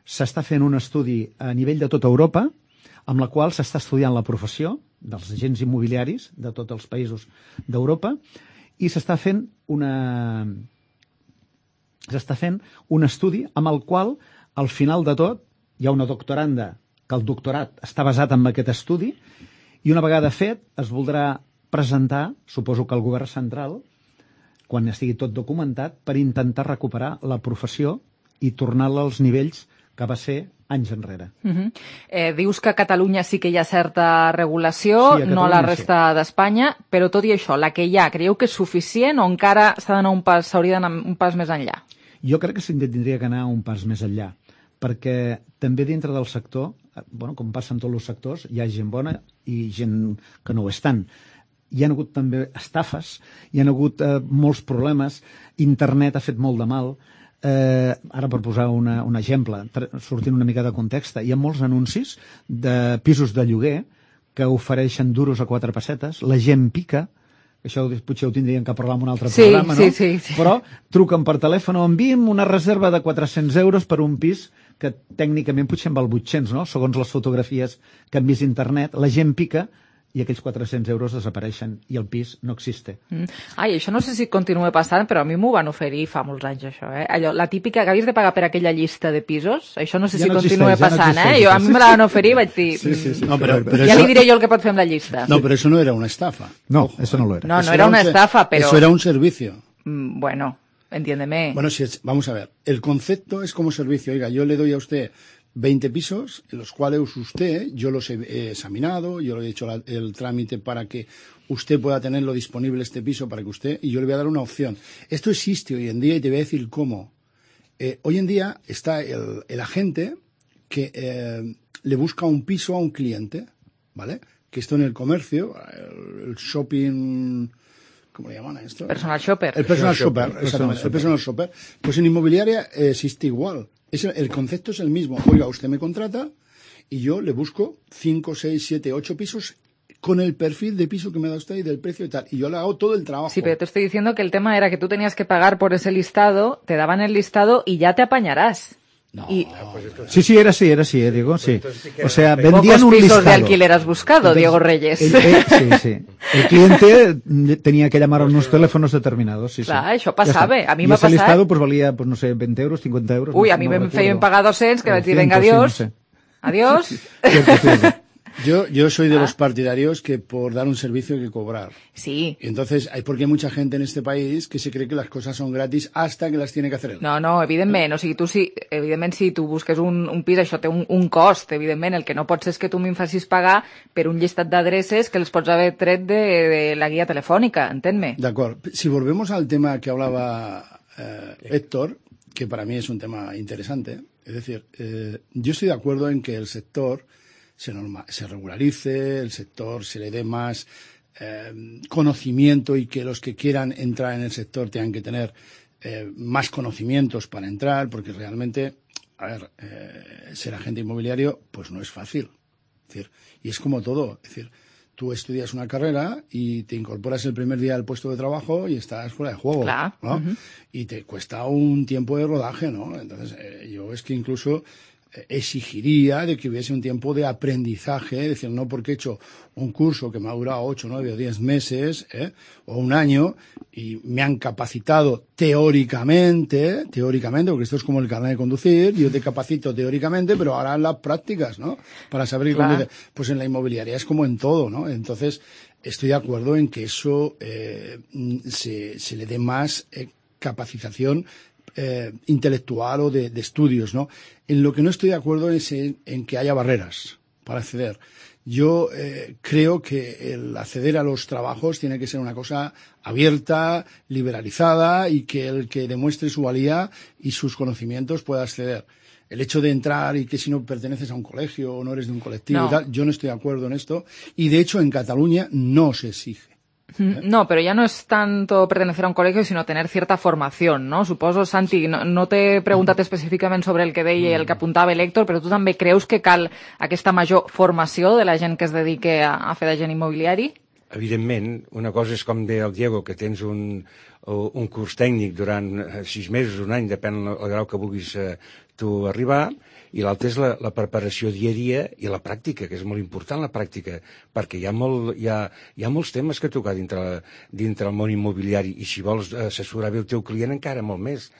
s'està fent un estudi a nivell de tota Europa, amb la qual s'està estudiant la professió dels agents immobiliaris de tots els països d'Europa i s'està fent una s'està fent un estudi amb el qual al final de tot hi ha una doctoranda que el doctorat està basat en aquest estudi i una vegada fet es voldrà presentar, suposo que el govern central, quan estigui tot documentat, per intentar recuperar la professió i tornar-la als nivells que va ser anys enrere. Uh-huh. eh, dius que a Catalunya sí que hi ha certa regulació, sí, a no a la resta sí. d'Espanya, però tot i això, la que hi ha, creieu que és suficient o encara s'ha d'anar un pas, s'hauria d'anar un pas més enllà? Jo crec que s'hauria d'anar un pas més enllà, perquè també dintre del sector, bueno, com passa en tots els sectors, hi ha gent bona i gent que no ho és tant. Hi ha hagut també estafes, hi ha hagut eh, molts problemes, internet ha fet molt de mal. Eh, ara per posar una, un exemple, sortint una mica de context, hi ha molts anuncis de pisos de lloguer que ofereixen duros a quatre pessetes, la gent pica, això potser ho tindríem que parlar en un altre sí, programa, no? Sí, sí, sí. Però truquen per telèfon o enviem una reserva de quatre-cents euros per un pis que tècnicament potser en val vuit-cents, no? Segons les fotografies que han vist a internet, la gent pica i aquells quatre-cents euros desapareixen i el pis no existe. Mm. Ai, això no sé si continua passant, però a mi m'ho van oferir fa molts anys, això, eh? Allò, la típica que havies de pagar per aquella llista de pisos, això no sé ja si no continua existeix, passant, ja no eh? Jo, a mi me la van oferir i vaig dir... Sí, sí, sí. No, però, però ja eso... li diré jo el que pot fer amb la llista. No, però això no era una estafa. No, eso no lo era. No, no era una estafa, però... Eso era un servicio. Mm, bueno... Entiéndeme. Bueno, si es, vamos a ver, el concepto es como servicio. Oiga, yo le doy a usted veinte pisos, en los cuales usted, yo los he, he examinado, yo le he hecho la, el trámite para que usted pueda tenerlo disponible este piso, para que usted, y yo le voy a dar una opción. Esto existe hoy en día y te voy a decir cómo. Eh, hoy en día está el, el agente que eh, le busca un piso a un cliente, ¿vale? Que esto en el comercio, el, el shopping... ¿Cómo le llaman a esto? Personal shopper. El personal, personal shopper, shopper, exactamente. El personal shopper. Pues en inmobiliaria eh, existe igual. Es el, el concepto es el mismo. Oiga, usted me contrata y yo le busco cinco, seis, siete, ocho pisos con el perfil de piso que me da usted y del precio y tal. Y yo le hago todo el trabajo. Sí, pero te estoy diciendo que el tema era que tú tenías que pagar por ese listado, te daban el listado y ya te apañarás. No, y... Sí, sí, era así, era así, eh, Diego, sí. O sea, vendían Pocos un pisos listado. de alquiler has buscado, Entonces, Diego Reyes. El, el, sí, sí. El cliente tenía que llamar a unos teléfonos determinados, sí, Clar, sí. això passava, a mi m'ha passat. I ese listado pues valía, pues no sé, veinte euros, cincuenta euros. Uy, no, a mí no me recuerdo. feien pagar doscientos, que vaig dir, venga, sí, adiós. no sé. Adiós. Yo, yo soy de ah. los partidarios que por dar un servicio hay que cobrar. Sí. Entonces, hay porque hay mucha gente en este país que se cree que las cosas son gratis hasta que las tiene que hacer él. No, no, evidentment. O sigui, tu si, evidentment, si tu busques un, un pis, això té un, un cost, evidentment. El que no pots és que tu m'hi facis pagar per un llistat d'adreces que els pots haver tret de, de la guia telefònica, entén-me. D'acord. Si volvemos al tema que hablaba eh, Héctor, que para mí es un tema interesante, es decir, eh, yo estoy de acuerdo en que el sector se, norma, se regularice, el sector se le dé más eh, conocimiento y que los que quieran entrar en el sector tengan que tener eh, más conocimientos para entrar, porque realmente, a ver, eh, ser agente inmobiliario pues no es fácil. Es decir, y es como todo, es decir, tú estudias una carrera y te incorporas el primer día al puesto de trabajo y estás fuera de juego, claro, ¿no? Uh-huh. Y te cuesta un tiempo de rodaje, ¿no? Entonces, eh, yo es que incluso exigiría de que hubiese un tiempo de aprendizaje, es decir, no porque he hecho un curso que me ha durado ocho, nueve o diez meses, ¿eh? o un año, y me han capacitado teóricamente, teóricamente, porque esto es como el carnet de conducir, yo te capacito teóricamente, pero ahora las prácticas, ¿no? Para saber claro. cómo... Pues en la inmobiliaria es como en todo, ¿no? Entonces, estoy de acuerdo en que eso eh, se, se le dé más eh, capacitación Eh, intelectual o de, de estudios, ¿no? En lo que no estoy de acuerdo es en, en que haya barreras para acceder. Yo eh, creo que el acceder a los trabajos tiene que ser una cosa abierta, liberalizada y que el que demuestre su valía y sus conocimientos pueda acceder. El hecho de entrar y que si no perteneces a un colegio o no eres de un colectivo no. y tal, yo no estoy de acuerdo en esto. Y de hecho en Cataluña no se exige. ¿Eh? No, pero ya no es tanto pertenecer a un colegio, sino tener cierta formación, ¿no? Suposo, Santi, no, no t'he preguntat específicament sobre el que deia i el que apuntava l'Héctor, però tu també creus que cal aquesta major formació de la gent que es dedique a, a fer d'agent immobiliari? Evidentment, una cosa és com deia el Diego, que tens un, un curs tècnic durant sis mesos, un any, depèn del grau que vulguis eh, tu arribar, i l'altre és la, la preparació dia a dia i la pràctica, que és molt important la pràctica, perquè hi ha, molt, hi ha, hi ha molts temes que tocar dintre, dintre el món immobiliari, i si vols assessorar bé el teu client encara molt més.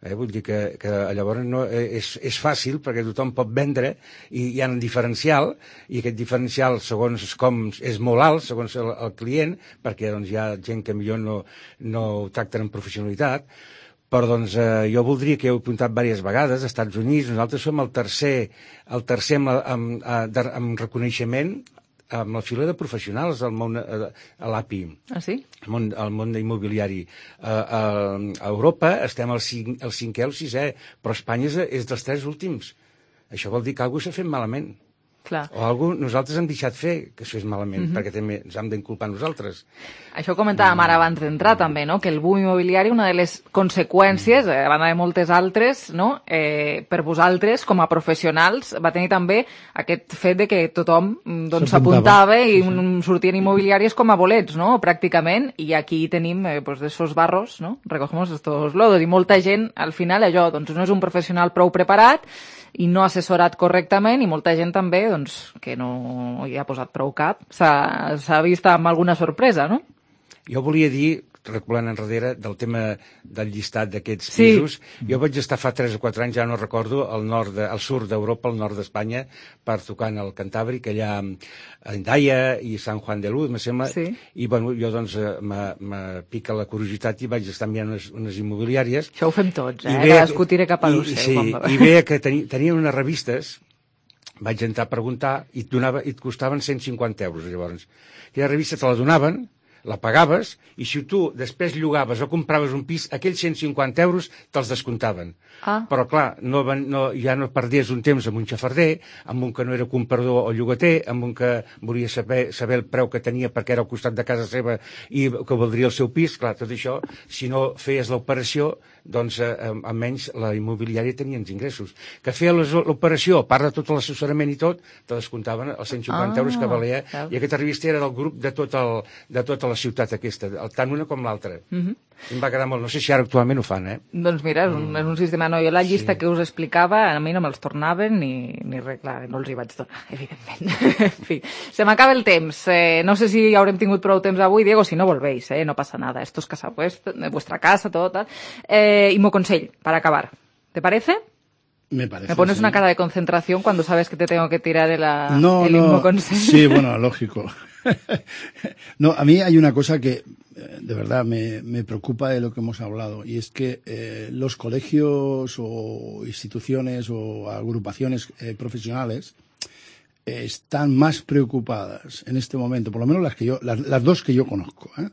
Eh, vull dir que, que llavors no, és, és fàcil perquè tothom pot vendre i hi ha un diferencial, i aquest diferencial segons com és molt alt, segons el, el client, perquè doncs, hi ha gent que millor no, no ho tracten amb professionalitat. Però doncs, eh, jo voldria, que heu apuntat diverses vegades, als Estats Units, nosaltres som el tercer, el tercer amb, amb, amb, amb reconeixement amb la fila de professionals al món, a, a l'A P I. Ah, sí? Al món, al món immobiliari. A, a, a Europa estem al, cinc, al cinquè o al sisè, però Espanya és, és dels tres últims. Això vol dir que alguna cosa s'ha fet malament. Clar. O alguna nosaltres hem deixat fer que això és malament, uh-huh. perquè també ens hem d'inculpar nosaltres. Això comentàvem ara abans d'entrar també, no? Que el boom immobiliari, una de les conseqüències, a banda de moltes altres, no? eh, per vosaltres, com a professionals, va tenir també aquest fet de que tothom doncs, s'apuntava i sí, sí. sortien immobiliàries com a bolets, no? Pràcticament, i aquí tenim eh, pues, d'esos barros, no? Recogemos estos lodos, i molta gent, al final, allò, doncs no és un professional prou preparat i no assessorat correctament, i molta gent també doncs, que no hi ha posat prou cap, s'ha vist amb alguna sorpresa, no? Jo volia dir recopilant enrere del tema del llistat d'aquests Sí. pisos. Jo vaig estar fa tres o quatre anys, ja no recordo, al, nord de, al sud d'Europa, al nord d'Espanya, per tocant el Cantàbric, allà a Endaya i Sant Juan de Luz, me sembla, Sí. i bueno, jo doncs eh, me, me pica la curiositat i vaig estar mirant unes, unes immobiliàries. Això ho fem tots, eh? I veia- Cadascú tira cap a lo i- seu. Sí, quan va. i veia que teni, tenien unes revistes, vaig entrar a preguntar, i et, donava, i et costaven cent cinquanta euros, llavors. Aquella revista te la donaven, la pagaves, i si tu després llogaves o compraves un pis, aquells cent cinquanta euros te'ls descomptaven. Ah. Però, clar, no, van- no, ja no perdies un temps amb un xafarder, amb un que no era comprador o llogater, amb un que volia saber, saber el preu que tenia perquè era al costat de casa seva i que voldria el seu pis. Clar, tot això, si no feies l'operació, doncs eh, almenys la immobiliària tenia uns ingressos. Que feia les- l'operació, a part de tot l'assessorament i tot, te descomptaven els cent cinquanta Ah, euros que valia, veus. i aquesta revista era del grup de, tot el, de tota la ciutat aquesta, el- tant una com l'altra. Mhm. Em va agradar molt, no sé si ara actualment ho fan, eh? Doncs mira, és un, és un sistema... No, jo la llista sí. que us explicava, a mi no me'ls tornaven ni, ni res, clar, no els hi vaig donar, evidentment. En fi, se m'acaba el temps. Eh, no sé si haurem tingut prou temps avui, Diego, si no volvéis, eh, no pasa nada. Esto es casa vuestra, vuestra casa, todo tal. Eh, y consell, para acabar. ¿Te parece? Me parece. Me pones sí. una cara de concentración cuando sabes que te tengo que tirar el, no, el no. mismo consejo. Sí, bueno, lógico. No, a mí hay una cosa que eh, de verdad me, me preocupa de lo que hemos hablado, y es que eh, los colegios o instituciones o agrupaciones eh, profesionales eh, están más preocupadas en este momento, por lo menos las que yo, las, las dos que yo conozco, ¿eh?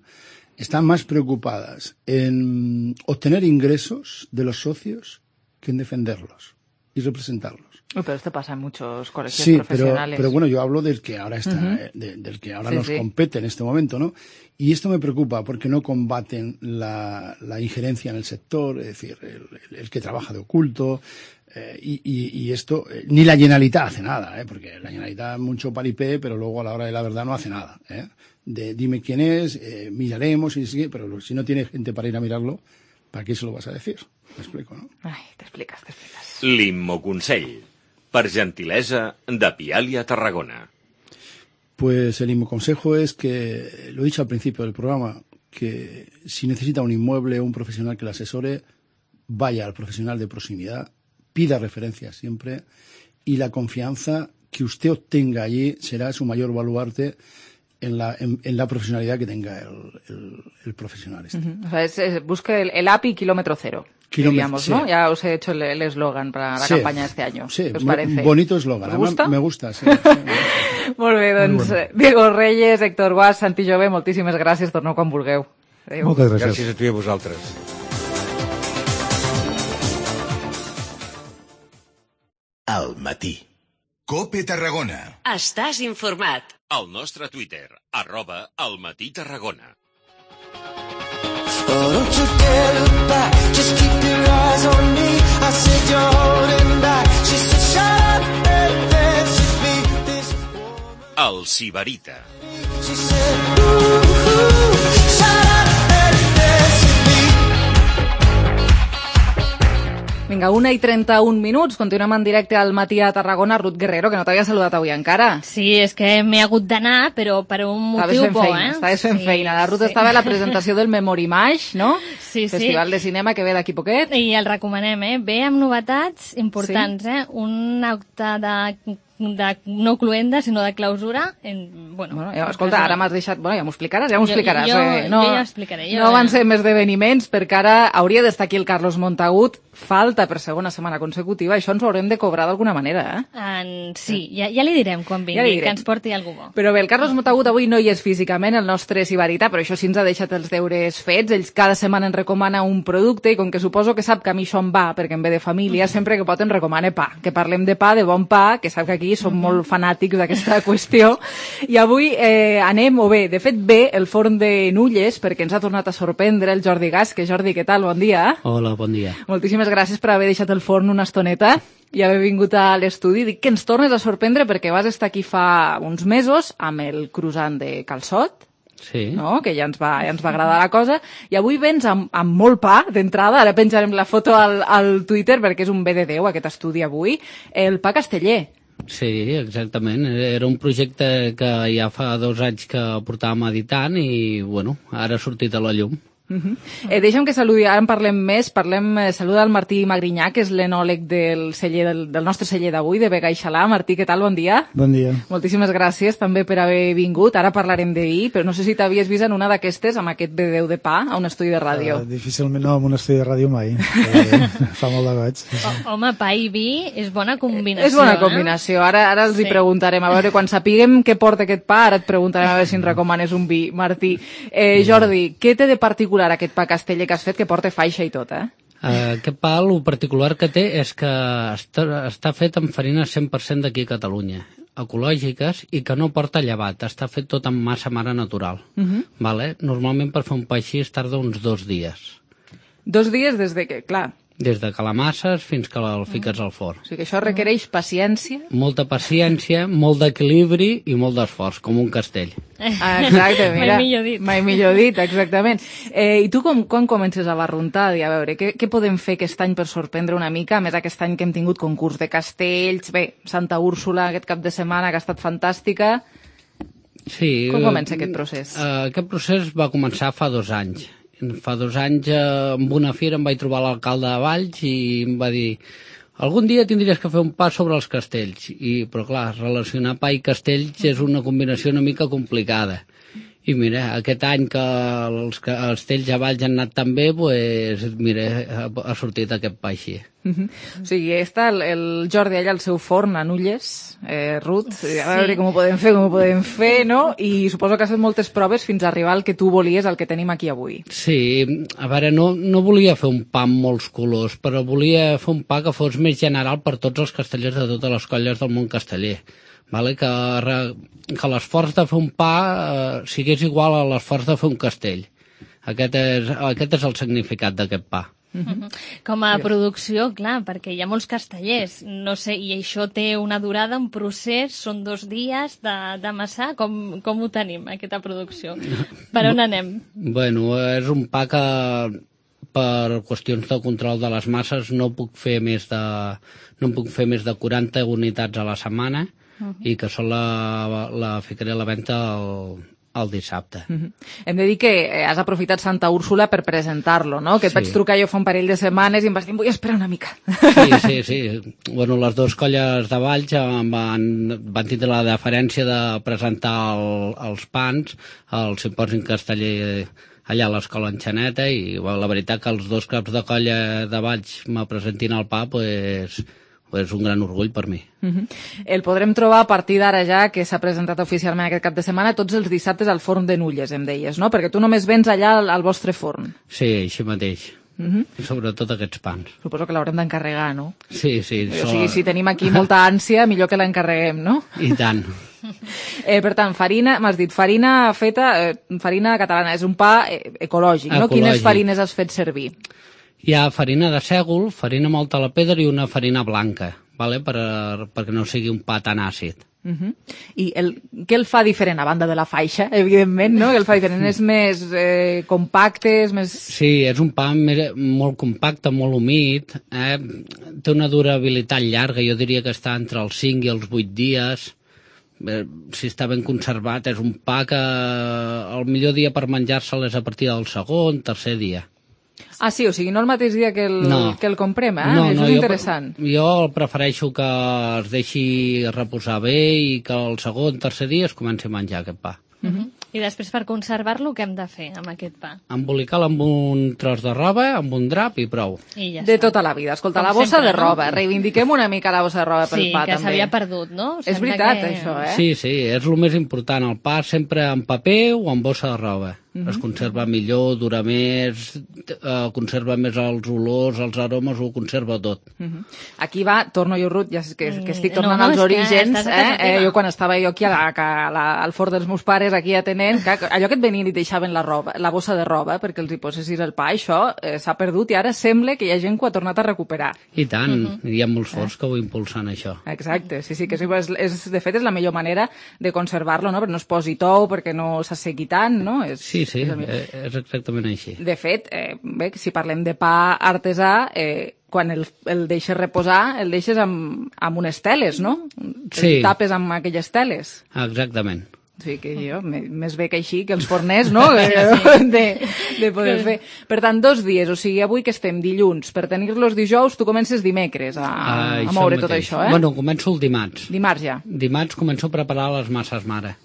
Están más preocupadas en obtener ingresos de los socios que en defenderlos y representarlos. Uy, pero esto pasa en muchos colegios Sí, pero, profesionales. pero bueno, yo hablo del que ahora está, Uh-huh. eh, de- del que ahora Sí, nos sí. compete en este momento, ¿no? Y esto me preocupa porque no combaten la, la injerencia en el sector, es decir, el, el- el que trabaja de oculto, eh, y, y- y esto, eh, ni la Generalitat hace nada, ¿eh? Porque la Generalitat mucho paripé, pero luego a la hora de la verdad no hace nada, ¿eh? De dime quién es, eh, miraremos, y sí, pero lo- si no tiene gente para ir a mirarlo, ¿para qué se lo vas a decir? Me explico, ¿no? Ai, t'expliques, t'expliques. L'Immoconsell. Per gentilesa de Pialia Tarragona. Pues el mismo consejo es que, lo he dicho al principio del programa, que si necesita un inmueble o un profesional que le asesore, vaya al profesional de proximidad, pida referencias siempre, y la confianza que usted obtenga allí será su mayor baluarte en la, en, en la profesionalidad que tenga el, el, el profesional este. Uh-huh. O sea, es, es, busque el, el A P I kilómetro cero, Kilómetro, diríamos, sí. ¿no? Ya os he hecho el el eslogan para la Sí. campaña de este año. Sí, ¿Qué os mo- parece? bonito eslogan. ¿Os Además, gusta? me gusta, sí. sí. Molt bé, doncs, Molt bueno. Diego Reyes, Héctor Guas, Santi Jové, moltíssimes gràcies, torneu quan vulgueu. Adéu. Moltes gràcies. Gràcies a tu i a vosaltres. Al matí. Cope Tarragona. Estàs informat. Al nostre Twitter, arroba al matí Tarragona. Oh, don't you dare look back, just keep your eyes on me. I said you're holding back. She said shut up and dance with me. This El Sibarita. she said ooh, ooh, shut up and dance with me. Vinga, una i trenta-un minuts, continuem en directe al matí a Tarragona. Ruth Guerrero, que no t'havia saludat avui encara. Sí, és que m'he hagut d'anar, però per un Estaves motiu fent bo, feina, eh? estaves fent Sí, feina. La Ruth sí. estava a la presentació del Memorimage, no? Sí, sí. Festival de cinema que ve d'aquí poquet. I el recomanem, eh? Ve amb novetats importants, eh? Un acte de, de no cluenda, sinó de clausura. En, bueno, Bueno, ja, escolta, ara m'has deixat... Bueno, ja m'ho explicaràs, ja m'ho Jo- explicaràs. jo- eh? No, jo ja ho explicaré, jo- no van ser més esdeveniments, perquè ara hauria d'estar aquí el Carlos Montagut. Falta per segona setmana consecutiva. Això ens ho haurem de cobrar d'alguna manera, eh? En, sí, ja, ja li direm quan vingui, Ja li que direm. ens porti algú bo. Però bé, el Carlos Montagut avui no hi és físicament, el nostre Sibarita, però això sí ens ha deixat els deures fets. Ells cada setmana ens recomana un producte i com que suposo que sap que a mi això em va, perquè em ve de família, sempre que pot ens recomana pa. Que parlem de pa, de bon pa, que sap que aquí som molt fanàtics d'aquesta qüestió. I avui eh, anem, o bé, de fet ve el forn de Nulles, perquè ens ha tornat a sorprendre el Jordi Gasque. Jordi, què tal? Bon dia. Hola, bon dia. Moltíssimes gràcies per haver deixat el forn una estoneta i haver vingut a l'estudi. Dic que ens tornes a sorprendre perquè vas estar aquí fa uns mesos amb el croissant de calçot, Sí. no? Que ja ens va, ja ens va agradar la cosa, i avui vens amb, amb molt pa d'entrada. Ara penjarem la foto al, al Twitter perquè és un bé de Déu aquest estudi avui. El pa casteller. Sí, exactament. Era un projecte que ja fa dos anys que portàvem editant i, bueno, ara ha sortit a la llum. Uh-huh. eh, deixa'm que saludi, ara en parlem més, parlem, eh, saluda el Martí Magrinyà, que és l'enòleg del, celler, del, del nostre celler d'avui, de Vega i Xalà. Martí, què tal? Bon dia. Bon dia. Moltíssimes gràcies també per haver vingut. Ara parlarem de vi, però no sé si t'havies vist en una d'aquestes, amb aquest B deu de pa, a un estudi de ràdio. Uh, difícilment, no, en un estudi de ràdio mai. Però, fa molt de goig. Sí, sí. O, home, pa i vi és bona combinació. És bona combinació. Eh? Ara, ara els sí. hi preguntarem. A veure, quan sapiguem què porta aquest pa, ara et preguntarem a veure si ens recomanes un vi. Martí, eh, Jordi, què té de particular aquest pa Casteller que has fet, que porta faixa i tot, eh? Uh, aquest pa, el particular que té és que està, està fet amb farina cent per cent d'aquí a Catalunya, ecològiques, i que no porta llevat, està fet tot amb massa mare natural. Uh-huh. Vale? Normalment per fer un pa així es tarda uns dos dies. Dos dies des de que, clar... Des de que l'amasses fins que el fiques al forn. O sigui que això requereix paciència. Molta paciència, molt d'equilibri i molt d'esforç, com un castell. Ah, exacte, mira. Mai millor dit. Mai millor dit, exactament. Eh, I tu com, quan comences a barruntar? A veure, què, què podem fer aquest any per sorprendre una mica? A més, aquest any que hem tingut concurs de castells, bé, Santa Úrsula aquest cap de setmana, que ha estat fantàstica. Sí. Com comença aquest procés? Uh, aquest procés va començar fa dos anys. Fa dos anys, eh, amb una fira, em vaig trobar l'alcalde de Valls i em va dir algun dia tindries que fer un pa sobre els castells. I, però clar, relacionar pa i castells és una combinació una mica complicada. I mira, aquest any que els castells a Valls han anat tan bé, pues, mira, ha, ha sortit aquest pa així. Uh-huh. O sigui, està el, el Jordi allà al seu forn a Nulles, eh, Ruth, sí. A veure com ho podem fer, com ho podem fer, no? I suposo que has fet moltes proves fins a arribar al que tu volies, al que tenim aquí avui. Sí, a veure, no, no volia fer un pa amb molts colors, però volia fer un pa que fos més general per tots els castellers de totes les colles del món casteller. Vale? Que, que l'esforç de fer un pa eh, sigués igual a l'esforç de fer un castell. Aquest és, aquest és el significat d'aquest pa. Uh-huh. Com a producció, clar, perquè hi ha molts castellers, no sé, i això té una durada, un procés, són dos dies d'amassar, com, com ho tenim, aquesta producció? Per on anem? Bueno, és un pa que per qüestions de control de les masses no puc fer més de, no puc fer més de quaranta unitats a la setmana, uh-huh. i que sol la, la ficaré a la venda el, el dissabte. Uh-huh. Hem de dir que has aprofitat Santa Úrsula per presentar-lo, no? Que et sí. vaig trucar jo fa un parell de setmanes i em vas dir, vull esperar una mica. Sí, sí, sí. Bueno, les dues colles de Valls van, van tindre la deferència de presentar el, els pans al Simposi Casteller allà a l'escola Enxaneta i bueno, la veritat que els dos caps de colla de Valls me presentin el pa, pues, és un gran orgull per mi. Uh-huh. El podrem trobar a partir d'ara ja, que s'ha presentat oficialment aquest cap de setmana, tots els dissabtes al forn de Nulles, em deies, no? Perquè tu només vens allà al, al vostre forn. Sí, així mateix. Uh-huh. Sobretot aquests pans. Suposo que l'haurem d'encarregar, no? Sí, sí. O sigui, si tenim aquí molta ànsia, millor que l'encarreguem, no? I tant. Eh, per tant, farina, m'has dit, farina feta, eh, farina catalana, és un pa eh, ecològic, no? Ecològic. Quines farines has fet servir? Hi ha farina de sègol, farina molt a la pedra i una farina blanca, vale? per, perquè no sigui un pa tan àcid. Uh-huh. I el, què el fa diferent, a banda de la faixa, evidentment, no? El fa diferent, és més eh, compacte, és més... Sí, és un pa més, molt compacte, molt humit, eh? Té una durabilitat llarga, jo diria que està entre els cinc i els vuit dies. Eh, si està ben conservat, és un pa que el millor dia per menjar-se'l és a partir del segon, tercer dia. Ah, sí, o sigui, no el mateix dia que el, no. que el comprem, eh? No, Això no, és jo, interessant. Jo prefereixo que es deixi reposar bé i que el segon, tercer dia es comenci a menjar aquest pa. Uh-huh. I després, per conservar-lo, què hem de fer amb aquest pa? Embolicar-lo amb un tros de roba, amb un drap i prou. I ja de està. Tota la vida. Escolta, Com la bossa sempre, de roba. No? Reivindiquem una mica la bossa de roba pel sí, pa, també. Sí, que s'havia perdut, no? És Sembla veritat, que... això, eh? Sí, sí, és el més important. El pa sempre en paper o en bossa de roba. Uh-huh. Es conserva millor, dura més, eh, conserva més els olors, els aromes, ho conserva tot. Uh-huh. Aquí va, torno jo, Ruth, ja que, que estic tornant no, no, als orígens. Eh? Eh, jo quan estava jo aquí a la, a la, al fort dels meus pares, aquí atenent, que allò que et venien i deixaven la roba, la bossa de roba perquè els hi posessis el pa, això eh, s'ha perdut i ara sembla que hi ha gent que ho ha tornat a recuperar. I tant, uh-huh. Hi ha molts forts eh? que ho impulsen, això. Exacte, sí, sí, que és, és, de fet és la millor manera de conservar-lo, no? Perquè no es posi tou, perquè no s'assegui tant, no? És, sí, sí, és, és exactament així. De fet, eh, bé, si parlem de pa artesà, eh, quan el, el deixes reposar, el deixes amb, amb unes teles, no? Sí. El tapes amb aquelles teles. Exactament. Sí, que jo, més bé que així, que els forners, no?, de, de poder fer. Per tant, dos dies, o sigui, avui que estem dilluns, per tenir-los dijous, tu comences dimecres a, a moure tot això, eh? Bueno, començo el dimarts. Dimarts ja. Dimarts començo a preparar les masses mare.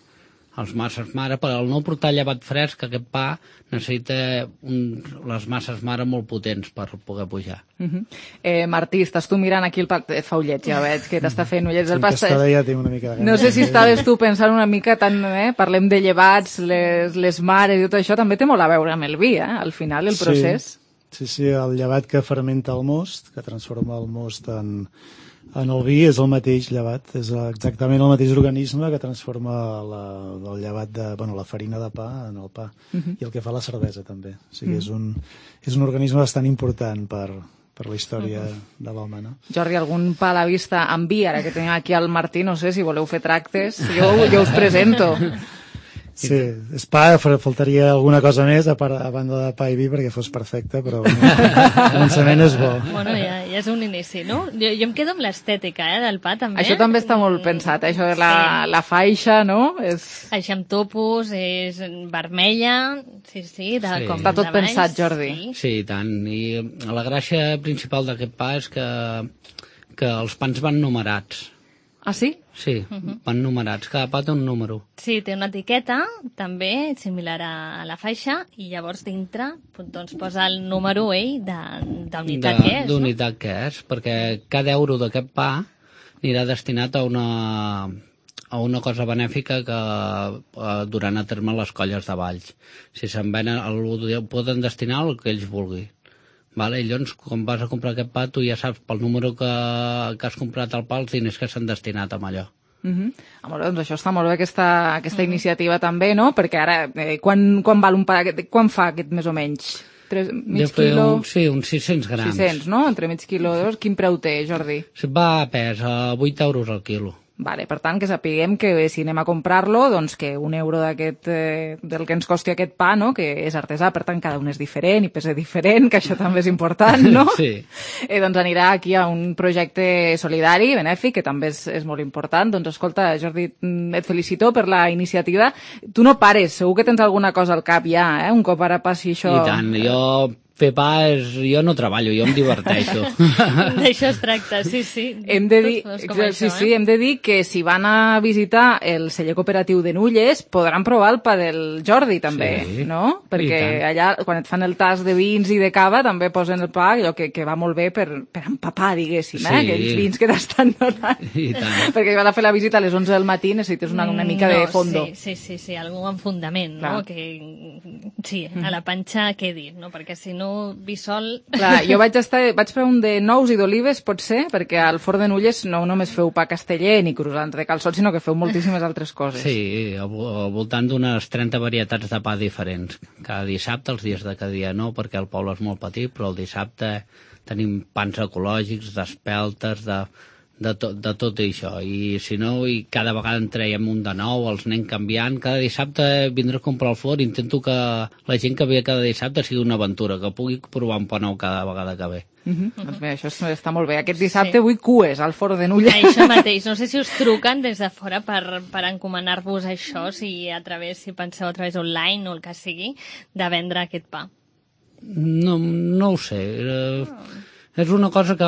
Els masses mare, per al no portar llevat fresc, aquest pa necessita un, les masses mare molt potents per poder pujar. Uh -huh. eh, Martí, estàs tu mirant aquí el pa... Et fa ullets, ja veig, que t'està fent ullets del pasta. Ja tinc una mica de no sé si estaves tu pensant una mica tant, eh? Parlem de llevats, les, les mares i tot això, també té molt a veure amb el vi, eh? Al final, el procés. Sí, sí, sí, el llevat que fermenta el most, que transforma el most en... En el vi és el mateix llevat, és exactament el mateix organisme que transforma la, el llevat de, bueno, la farina de pa en el pa, uh -huh. i el que fa la cervesa també. O sigui, uh -huh. és, un, és un organisme bastant important per, per la història uh -huh. de l'home, no? Jordi, algun pa a la vista amb vi, ara que tenim aquí al Martí, no sé si voleu fer tractes, jo, jo us presento. Sí, és pa, faltaria alguna cosa més a, part, a banda de pa i vi perquè fos perfecte, però bueno, el començament és bo. Bueno, ja, ja és un inici, no? Jo, jo em quedo amb l'estètica, eh, del pa, també. Això també està molt pensat, eh? Això de la, sí. la faixa, no? És... Això amb topos, és vermella, sí, sí, de, sí. com està tot de baix, pensat, Jordi. Sí. Sí, i tant. I la gràcia principal d'aquest pa és que, que els pans van numerats. Ah, sí? Sí, uh-huh. van numerats, cada pa té un número. Sí, té una etiqueta, també, similar a la faixa, i llavors dintre doncs, posa el número ell d'unitat que és. D'unitat no? que és, perquè cada euro d'aquest pa anirà destinat a una, a una cosa benèfica que eh, duran a terme les colles de Valls. Si se'n venen, el poden destinar al que ells vulguin. Vale, i llavors, quan vas a comprar aquest pa, tu ja saps pel número que, que has comprat el pa, els diners que s'han destinat amb allò. Uh -huh. ah, molt bé, doncs això està molt bé, aquesta, aquesta uh -huh. iniciativa també, no? Perquè ara, eh, quan, quan val un pa, quan fa aquest més o menys? Tres, mig quilo? Un, sí, uns sis-cents grams. sis-cents, no? Entre mig quilo i dos. Quin preu té, Jordi? Va a pes, a vuit euros al quilo. Vale, per tant, que sapiguem que si anem a comprar-lo, doncs que un euro d'aquest, eh, del que ens costi aquest pa, no?, que és artesà, per tant, cada un és diferent i pesa diferent, que això també és important, no? Sí. Eh, doncs anirà aquí a un projecte solidari, benèfic, que també és, és molt important. Doncs escolta, Jordi, et felicito per la iniciativa. Tu no pares, segur que tens alguna cosa al cap ja, eh? Un cop ara passi això... I tant, jo... Fer pa és... Jo no treballo, jo em diverteixo. D'això es tracta, sí, sí. Hem de dir, sí, això, sí, eh? hem de dir que si van a visitar el celler cooperatiu de Nulles podran provar el pa del Jordi, també, sí, no? Perquè allà, quan et fan el tas de vins i de cava, també posen el pa, allò que, que va molt bé per, per empapar, diguéssim, eh? Sí. Aquells vins que t'estan donant. I tant. Perquè van a fer la visita a les onze del matí, necessites una, una mica no, de fondo. Sí, sí, sí, sí, algú amb fundament, Clar. no? Que, sí, a la panxa quedi, no? Perquè si no, vi sol... Clar, jo vaig estar, vaig fer un de nous i d'olives, pot ser, perquè al Forn de Nulles no només feu pa casteller ni croissants de calçot, sinó que feu moltíssimes altres coses. Sí, al, al voltant d'unes trenta varietats de pa diferents. Cada dissabte, els dies de cada dia no, perquè el poble és molt petit, però el dissabte tenim pans ecològics, d'espeltes, de... De, to, de tot això, i si no, i cada vegada en traiem un de nou, els anem canviant, cada dissabte vindré a comprar el forn, intento que la gent que ve cada dissabte sigui una aventura, que pugui provar un pa nou cada vegada que ve. Uh -huh. Doncs bé, això està molt bé. Aquest dissabte sí. vull cues al Forn de Nulles. Això mateix, no sé si us truquen des de fora per, per encomanar-vos això, si a través, si penseu a través online o el que sigui, de vendre aquest pa. No, no ho sé, eh... Oh. És una cosa que...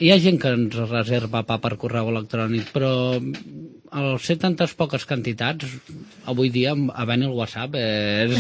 Hi ha gent que ens reserva pa per correu electrònic, però al ser tantes poques quantitats, avui dia, havent el WhatsApp, és,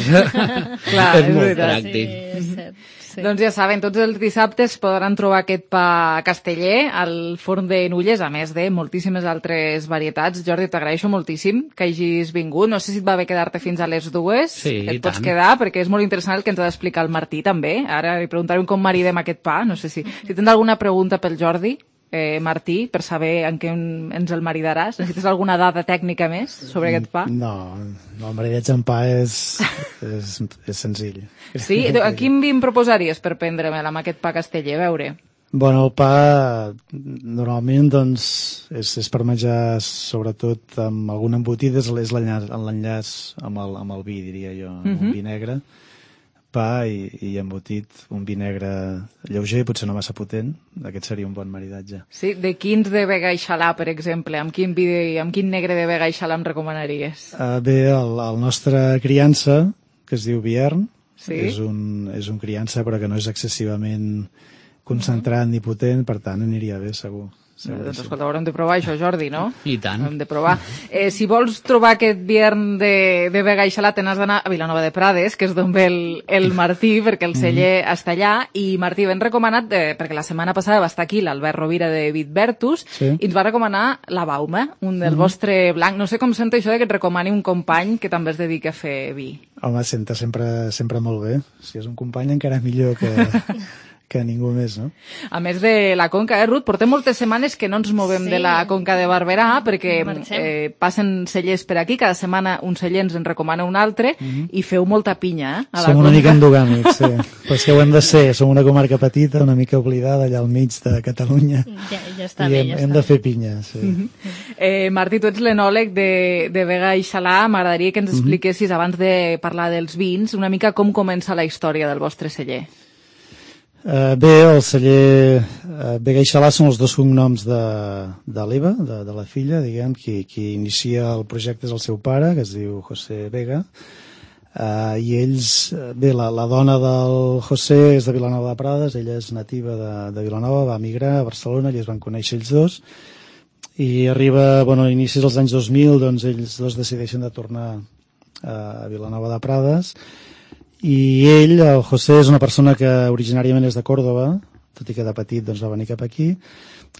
Clar, és, és molt pràctic. Sí, és cert. Sí. Doncs ja saben, tots els dissabtes podran trobar aquest pa casteller al Forn de Nulles, a més de moltíssimes altres varietats. Jordi, t'agraeixo moltíssim que hagis vingut. No sé si et va bé quedar-te fins a les dues. Sí, et pots quedar, perquè és molt interessant el que ens ha d'explicar el Martí, també. Ara li preguntarem com maridem aquest pa. No sé si, si tens alguna pregunta pel Jordi, eh, Martí, per saber en què ens el maridaràs. Necessites alguna dada tècnica més sobre aquest pa? No, no el maridatge en pa és, és, és senzill. Sí? A quin vi em proposaries per prendre-me'l amb aquest pa casteller? A veure... Bueno, el pa normalment doncs, és, és per menjar sobretot amb algun embotit, és l'enllaç amb, el, amb el vi, diria jo, amb uh-huh. un vi negre. pa i, i embotit un vi negre lleuger, potser no massa potent. Aquest seria un bon maridatge. Sí, de quins de Vega i Xalà, per exemple? Amb quin, vi de, amb quin negre de Vega i Xalà em recomanaries? Uh, bé, el, el nostre criança, que es diu Biern, sí? és, un, és un criança però que no és excessivament concentrat uh -huh. ni potent, per tant aniria bé, segur. Sí, doncs escolta, haurem de provar això, Jordi, no? I tant. Hem de provar. Eh, si vols trobar aquest Biern de, de Vega i Xalà, t'has d'anar a Vilanova de Prades, que és d'on ve el, el Martí, perquè el celler mm -hmm. està allà. I Martí, ben recomanat, eh, perquè la setmana passada va estar aquí l'Albert Rovira de Vitbertus, sí. i ens va recomanar la Baume, un del mm -hmm. vostre blanc. No sé com sento això de que et recomani un company que també es dedica a fer vi. Home, senta sempre, sempre molt bé. Si és un company encara millor que... que ningú més, no? A més de la Conca, eh, Ruth? Portem moltes setmanes que no ens movem sí. de la Conca de Barberà perquè eh, passen cellers per aquí, cada setmana un celler ens en recomana un altre mm -hmm. i feu molta pinya, eh? A som la una Conca. mica endogàmics, sí. Però és que ho hem de ser, som una comarca petita, una mica oblidada allà al mig de Catalunya. Ja, ja està I bé, hem, ja hem està de fer pinya, sí. Mm -hmm. eh, Martí, tu ets l'enòleg de, de Vega i Xalà. M'agradaria que ens expliquessis, mm -hmm. abans de parlar dels vins, una mica com comença la història del vostre celler. Uh, bé, el celler uh, Vega i Xalà són els dos cognoms de, de l'Eva, de, de la filla, diguem, qui, qui inicia el projecte és el seu pare, que es diu José Vega, uh, i ells, bé, la, la dona del José és de Vilanova de Prades, ella és nativa de, de Vilanova, va emigrar a Barcelona, i es van conèixer ells dos, i arriba, bueno, a inicis dels anys dos mil, doncs ells dos decideixen de tornar uh, a Vilanova de Prades, i ell, el José, és una persona que originàriament és de Còrdova, tot i que de petit doncs, va venir cap aquí.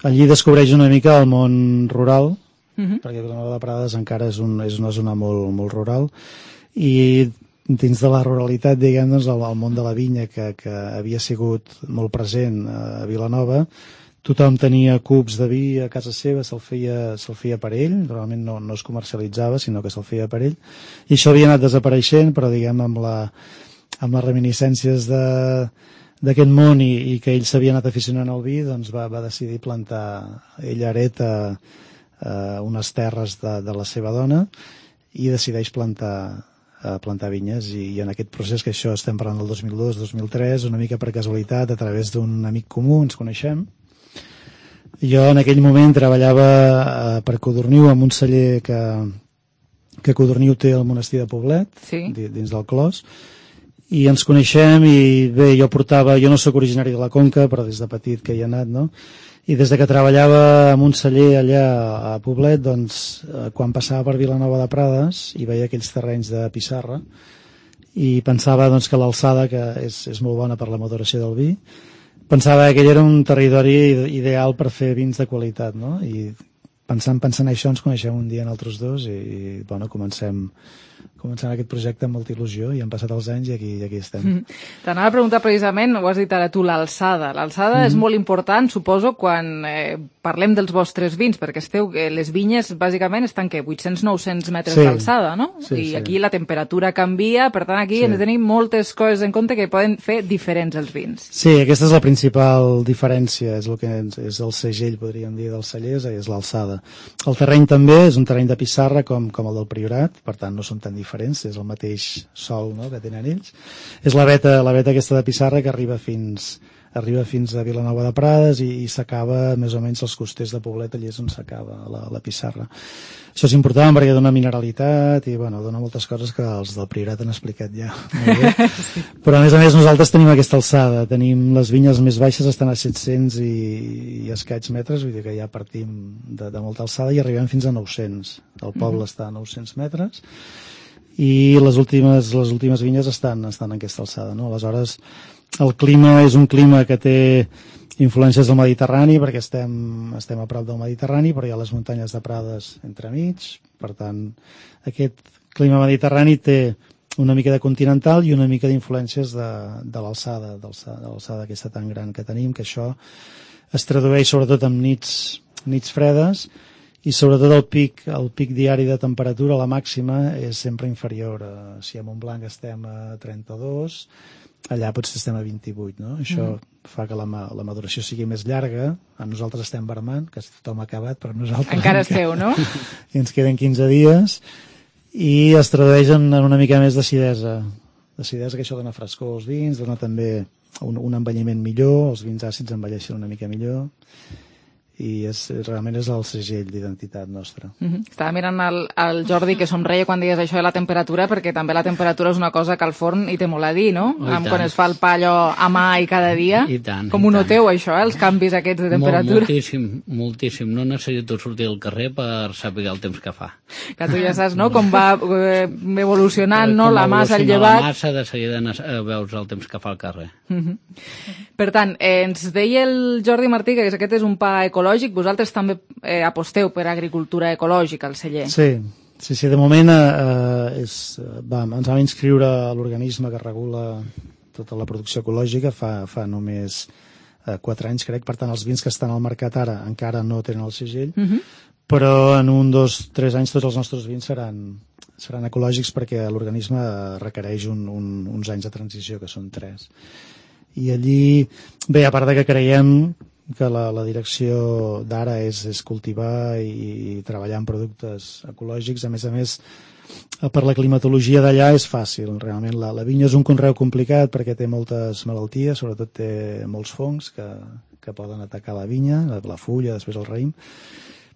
Allí descobreix una mica el món rural, uh -huh. perquè Vilanova de Prades encara és, un, és una zona molt, molt rural, i dins de la ruralitat, diguem, doncs, el, el món de la vinya, que, que havia sigut molt present a Vilanova, tothom tenia cubs de vi a casa seva, se'l feia, se'l feia per ell, normalment no, no es comercialitzava, sinó que se'l feia per ell, i això havia anat desapareixent, però diguem, amb la amb les reminiscències d'aquest món i, i que ell s'havia anat aficionant al vi, doncs va, va decidir plantar, ell hereta eh, unes terres de, de la seva dona i decideix plantar, eh, plantar vinyes, i, i en aquest procés, que això estem parlant del dos mil dos dos mil tres, una mica per casualitat, a través d'un amic comú ens coneixem. Jo en aquell moment treballava eh, per Codorniu amb un celler que, que Codorniu té al monestir de Poblet, sí. dins del Clos, i ens coneixem, i bé, jo portava, jo no sóc originari de la Conca, però des de petit que hi he anat, no? I des de que treballava en un celler allà a Poblet, doncs, eh, quan passava per Vilanova de Prades i veia aquells terrenys de pissarra, i pensava doncs, que l'alçada, que és, és molt bona per la maduració del vi, pensava que aquell era un territori ideal per fer vins de qualitat, no? I pensant, pensant això ens coneixem un dia en altres dos, i, i bueno, comencem... començant aquest projecte amb molta il·lusió, i han passat els anys i aquí, i aquí estem. Mm. T'anava a preguntar precisament, ho has dit ara tu, l'alçada. L'alçada mm. és molt important, suposo, quan eh, parlem dels vostres vins, perquè esteu, eh, les vinyes bàsicament estan, què, vuit-cents a nou-cents metres sí. d'alçada, no? Sí, I sí. aquí la temperatura canvia, per tant aquí sí. hem de tenir moltes coses en compte que poden fer diferents els vins. Sí, aquesta és la principal diferència, és el que és, és el segell, podríem dir, dels cellers, és l'alçada. El terreny també és un terreny de pissarra com, com el del Priorat, per tant no són tan diferents, és el mateix sol, no?, que tenen ells. És la veta, la veta aquesta de pissarra que arriba fins, arriba fins a Vilanova de Prades i, i s'acaba més o menys als costers de Poblet, allà és on s'acaba la, la pissarra. Això és important perquè dona mineralitat i bueno, dona moltes coses que els del Priorat han explicat ja molt bé. Sí. Però a més a més nosaltres tenim aquesta alçada, tenim les vinyes més baixes, estan a set-cents i, i escaig metres, vull dir que ja partim de, de molta alçada i arribem fins a nou-cents. El poble mm-hmm. està a nou-cents metres i les últimes, les últimes vinyes estan, estan en aquesta alçada, no? Aleshores, el clima és un clima que té influències del Mediterrani, perquè estem, estem a prop del Mediterrani, però hi ha les muntanyes de Prades entremig, per tant, aquest clima mediterrani té una mica de continental i una mica d'influències de, de l'alçada, de l'alçada aquesta tan gran que tenim, que això es tradueix sobretot en nits, nits fredes, i sobretot el pic, el pic diari de temperatura, la màxima, és sempre inferior. A, si a Montblanc estem a trenta-dos, allà potser estem a vint-i-vuit, no? Això mm. fa que la, la maduració sigui més llarga. A nosaltres estem vermant, que tothom ha acabat, però nosaltres... Encara esteu, no? I ens queden quinze dies, i es tradueix en una mica més d'acidesa. L'acidesa, que això dona frescor als vins, dona també un, un envelliment millor, els vins àcids envelleixen una mica millor, i és, realment és el segell d'identitat nostra. Mm-hmm. Estava mirant el, el Jordi, que somreia quan deies això de la temperatura, perquè també la temperatura és una cosa que al forn hi té molt a dir, no? Oh, Amb, quan es fa el pa allò a mà i cada dia. I tant, Com i ho tant. noteu, això, eh? Els canvis aquests de temperatura? Molt, moltíssim, moltíssim. No necessito sortir al carrer per saber el temps que fa. Que tu ja saps, no?, com va eh, evolucionant, no?, Com la massa, el evoluciona llevat. La massa, de seguida eh, veus el temps que fa al carrer. Mm-hmm. Per tant, eh, ens deia el Jordi Martí que aquest és un pa ecològic. Vosaltres també eh, aposteu per agricultura ecològica al celler. Sí, sí, sí de moment eh, és, va, ens vam inscriure a l'organisme que regula tota la producció ecològica fa, fa només eh, quatre anys, crec. Per tant, els vins que estan al mercat ara encara no tenen el segell, Mm-hmm. però en un, dos, tres anys tots els nostres vins seran, seran ecològics perquè l'organisme requereix un, un, uns anys de transició, que són tres. I allí, bé, a part de que creiem que la, la direcció d'ara és, és cultivar i, i treballar en productes ecològics, a més a més, per la climatologia d'allà és fàcil. Realment la, la vinya és un conreu complicat perquè té moltes malalties, sobretot té molts fongs que, que poden atacar la vinya, la, la fulla, després el raïm,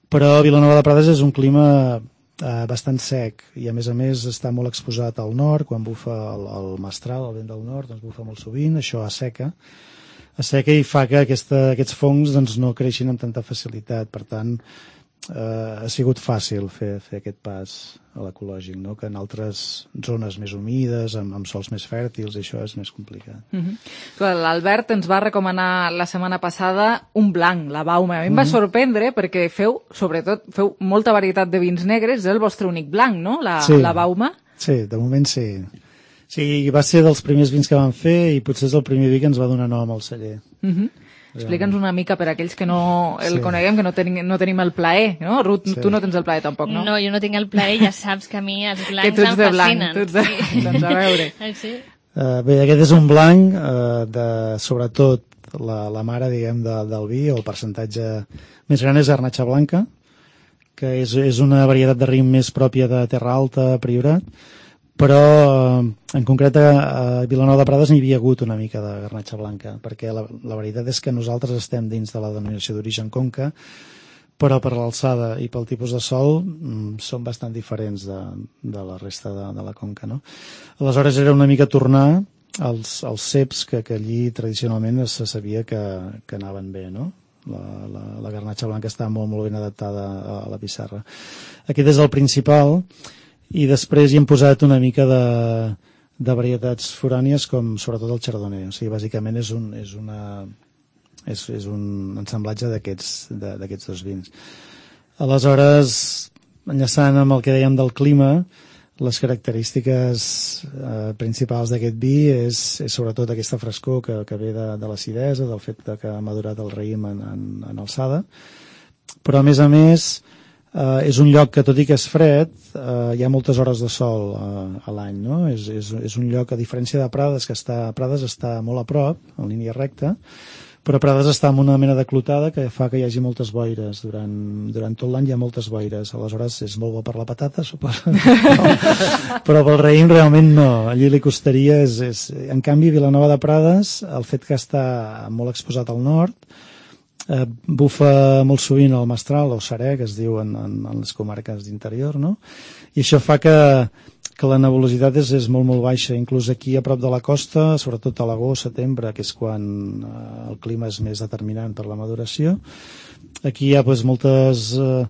però Vilanova de Prades és un clima eh, bastant sec i a més a més està molt exposat al nord. Quan bufa el, el mestral, el vent del nord, doncs bufa molt sovint, això asseca asseca i fa que aquesta, aquests fongs doncs, no creixin amb tanta facilitat. Per tant, eh, ha sigut fàcil fer, fer aquest pas a l'ecològic, no? Que en altres zones més humides, amb, amb sols més fèrtils, això és més complicat. Mm-hmm. L'Albert ens va recomanar la setmana passada un blanc, la Bauma. A mi em va Mhm. sorprendre perquè feu, sobretot, feu molta varietat de vins negres, és el vostre únic blanc, no?, la, Sí. la Bauma. Sí, de moment sí. Sí, va ser dels primers vins que vam fer i potser és el primer vi que ens va donar nom al celler. Mm-hmm. Explica'ns una mica per a aquells que no el Sí. coneguem, que no, ten, no tenim el plaer, no? Ruth, Sí. tu no tens el plaer tampoc, no? No, jo no tinc el plaer, ja saps que a mi els Que blancs tu ets em de blanc, fascinen. tu ets de... Sí. Doncs a veure. Ah, sí? Uh, bé, aquest és un blanc uh, de, sobretot, la, la mare, diguem, de, del vi, o el percentatge més gran és Garnatxa Blanca, que és, és una varietat de raïm més pròpia de Terra Alta, Priorat, però uh, en concret a, a Vilanova de Prades n'hi havia hagut una mica de Garnatxa Blanca, perquè la, la veritat és que nosaltres estem dins de la denominació d'origen Conca, però per l'alçada i pel tipus de sol mm, són bastant diferents de, de la resta de, de la Conca, no? Aleshores era una mica tornar als, als ceps que, que allí tradicionalment se sabia que, que anaven bé, no? La, la, la garnatxa blanca està molt, molt ben adaptada a, a la pissarra. Aquest és el principal, i després hi hem posat una mica de, de varietats forànies, com sobretot el chardonnay. O sigui, bàsicament és un, és una, és, és un ensamblatge d'aquests d'aquests dos vins. Aleshores, enllaçant amb el que dèiem del clima, les característiques eh, principals d'aquest vi és, és sobretot aquesta frescor que, que ve de, de l'acidesa, del fet de que ha madurat el raïm en, en, en alçada, però a més a més eh, és un lloc que, tot i que és fred, eh, hi ha moltes hores de sol eh, a l'any, no? És, és, és un lloc, a diferència de Prades, que està, Prades està molt a prop, en línia recta, però Prades està en una mena de clotada que fa que hi hagi moltes boires. Durant, durant tot l'any hi ha moltes boires. Aleshores és molt bo per la patata, suposo. No. Però pel raïm realment no. Allí li costaria... És, és... En canvi, Vilanova de Prades, el fet que està molt exposat al nord, eh, bufa molt sovint el mestral, o serè, que es diu en, en, en les comarques d'interior, no? I això fa que, que la nebulositat és, és molt, molt baixa. Inclús aquí a prop de la costa, sobretot a l'agost, setembre, que és quan eh, el clima és més determinant per la maduració, aquí hi ha pues, moltes eh,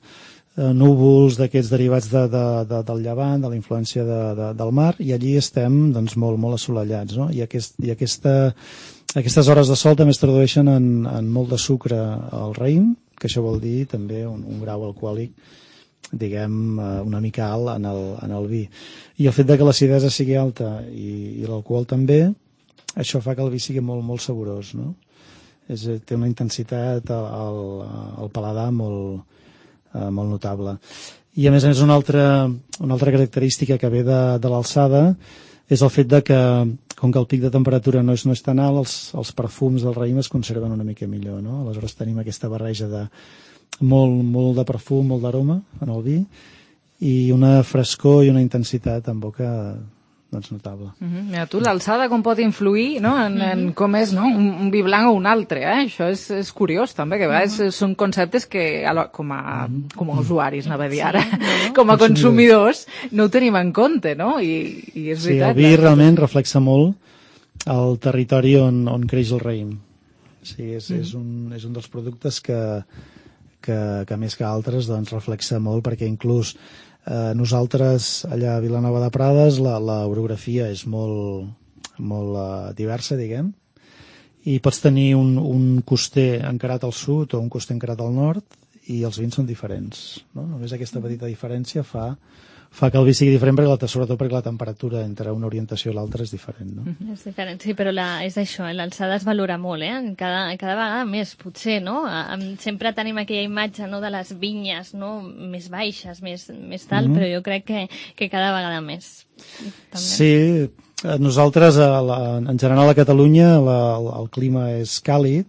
núvols d'aquests derivats de, de, de, del llevant, de la influència de, de, del mar, i allí estem doncs, molt, molt assolellats, no? I, aquest, i aquesta, aquestes hores de sol també es tradueixen en, en molt de sucre al raïm, que això vol dir també un, un grau alcohòlic, diguem, una mica alt en el, en el vi. I el fet de que l'acidesa sigui alta i, i l'alcohol també, això fa que el vi sigui molt, molt saborós, no? És, té una intensitat al, al paladar molt, eh, molt notable. I a més a més una altra, una altra característica que ve de, de l'alçada és el fet de que, com que el pic de temperatura no és, no és tan alt, els, els perfums del raïm es conserven una mica millor, no? Aleshores tenim aquesta barreja de molt, molt de perfum, molt d'aroma en el vi, i una frescor i una intensitat en boca doncs notable. Uh -huh. Mira, tu, l'alçada com pot influir, no?, en, en com és, no?, un, un vi blanc o un altre, eh? Això és, és curiós, també, que a vegades uh -huh. són conceptes que, com a, com a usuaris, anava a dir ara, sí, no? com a consumidors, no ho tenim en compte, no? I, i és sí, veritat. El vi realment reflexa molt el territori on, on creix el raïm. Sí, és, mm. és, un, és un dels productes que, que, que més que altres doncs, reflexa molt, perquè inclús eh, nosaltres allà a Vilanova de Prades l'orografia és molt, molt uh, diversa, diguem, i pots tenir un, un coster encarat al sud o un coster encarat al nord i els vins són diferents, no? Només aquesta petita diferència fa fa que el vi sigui diferent, perquè la, sobretot perquè la temperatura entre una orientació i l'altra és diferent, no? Mm-hmm. És diferent, sí, però la, és això, l'alçada es valora molt, eh? Cada, cada vegada més, potser, no? Sempre tenim aquella imatge, no?, de les vinyes, no?, més baixes, més, més tal, mm-hmm. però jo crec que, que cada vegada més. També. Sí, nosaltres, a la, en general a Catalunya, la, el, el clima és càlid,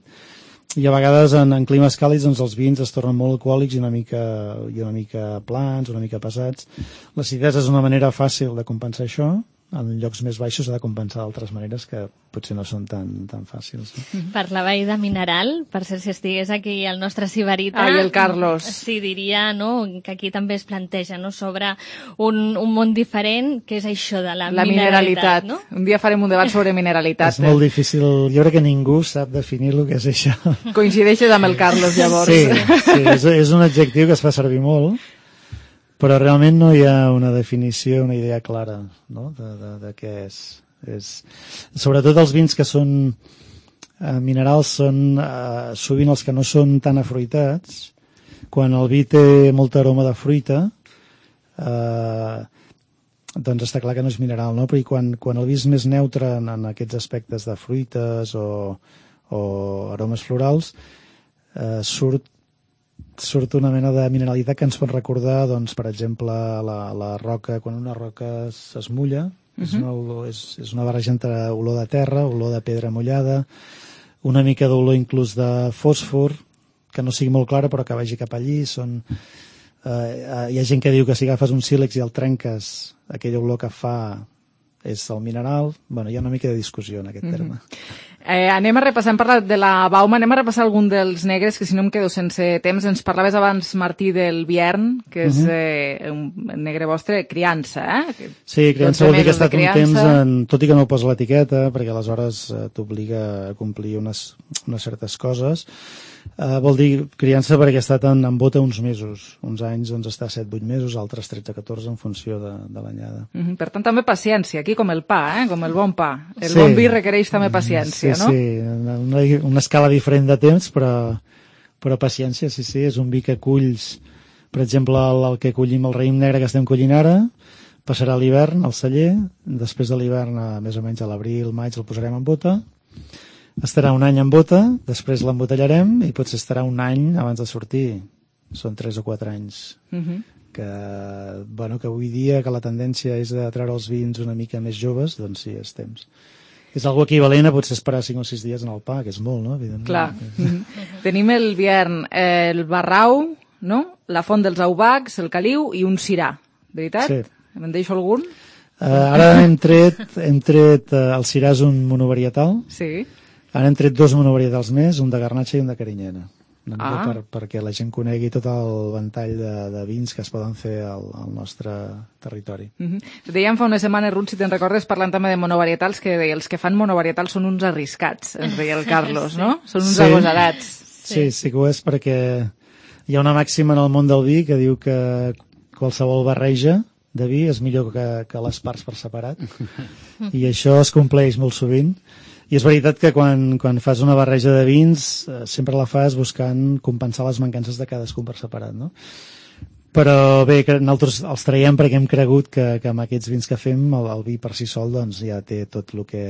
i a vegades en, en climes càlids doncs, els vins es tornen molt alcohòlics i una mica, i una mica plans, una mica pesats. L'acidesa és una manera fàcil de compensar això. En llocs més baixos s'ha de compensar d'altres maneres que potser no són tan, tan fàcils. No? Parlava ahir de mineral, per cert, si estigués aquí el nostre Sibarita... Ah, i el Carlos. Sí, diria, no?, que aquí també es planteja, no?, sobre un, un món diferent, que és això de la, la mineralitat. mineralitat. No? Un dia farem un debat sobre mineralitat. És molt difícil, jo crec que ningú sap definir el que és això. Coincideixes amb el Carlos, llavors. Sí, sí és, és un adjectiu que es fa servir molt, però realment no hi ha una definició, una idea clara, no?, de, de, de què és. és. Sobretot els vins que són eh, minerals són eh, sovint els que no són tan afruitats. Quan el vi té molta aroma de fruita, eh, doncs està clar que no és mineral, no? Però quan, quan el vi és més neutre en, en aquests aspectes de fruites o, o aromes florals, eh, surt surt una mena de mineralitat que ens pot recordar, doncs, per exemple, la, la roca, quan una roca es mulla, uh-huh. és, una olor, és, és una barreja entre olor de terra, olor de pedra mullada, una mica d'olor inclús de fòsfor, que no sigui molt clara però que vagi cap allí. Són, eh, hi ha gent que diu que si agafes un sílex i el trenques, aquella olor que fa és el mineral. Bueno, hi ha una mica de discussió en aquest uh-huh. terme. Eh, anem a repassar, hem parlat de la Bauma, anem a repassar algun dels negres, que si no em quedo sense temps. Ens parlaves abans, Martí, del Biern, que és uh-huh. eh, un negre vostre, criança, eh? Sí, criança vol dir que ha estat un temps, en, tot i que no ho posa l'etiqueta, perquè aleshores eh, t'obliga a complir unes, unes certes coses. Uh, vol dir criança perquè ha estat en, en bota uns mesos. Uns anys doncs està set vuit mesos, altres tretze catorze en funció de, de l'anyada. Uh-huh. Per tant, també paciència, aquí com el pa, eh? Com el bon pa. El sí. bon vi requereix també paciència, sí, no? Sí, una, una escala diferent de temps, però, però paciència, sí, sí. És un vi que culls, per exemple, el, el que collim, el raïm negre que estem collint ara, passarà l'hivern al celler, després de l'hivern, més o menys a l'abril, maig, el posarem en bota, estarà un any en bota, després l'embotellarem i potser estarà un any abans de sortir. Són tres o quatre anys. Uh-huh. Que, bueno, que avui dia que la tendència és de treure els vins una mica més joves, doncs sí, és temps. És algo equivalent a potser esperar cinc o sis dies en el pa, que és molt, no? Evidentment. Clar. Uh-huh. Tenim el Biern, eh, el Barrau, no? La Font dels Aubacs, el Caliu i un Sirà. Veritat? Sí. Me'n deixo algun? Uh, ara hem tret, hem tret uh, el Sirà és un monovarietal. Sí. Ara hem tret dos monovarietals més, un de Garnatxa i un de Carinyena. Ah. Per, perquè la gent conegui tot el ventall de, de vins que es poden fer al, al nostre territori. Uh-huh. Dèiem fa unes setmanes, Ruth, si te'n recordes, parlant també de monovarietals, que els que fan monovarietals són uns arriscats, ens deia el Carlos, sí. No? Són uns sí. agosarats. Sí. sí, sí que ho és, perquè hi ha una màxima en el món del vi que diu que qualsevol barreja de vi és millor que, que les parts per separat. I això es compleix molt sovint. I és veritat que quan, quan fas una barreja de vins eh, sempre la fas buscant compensar les mancances de cadascun per separat, no? Però bé, que nosaltres els traiem perquè hem cregut que, que amb aquests vins que fem el, el vi per si sol doncs, ja té tot el que...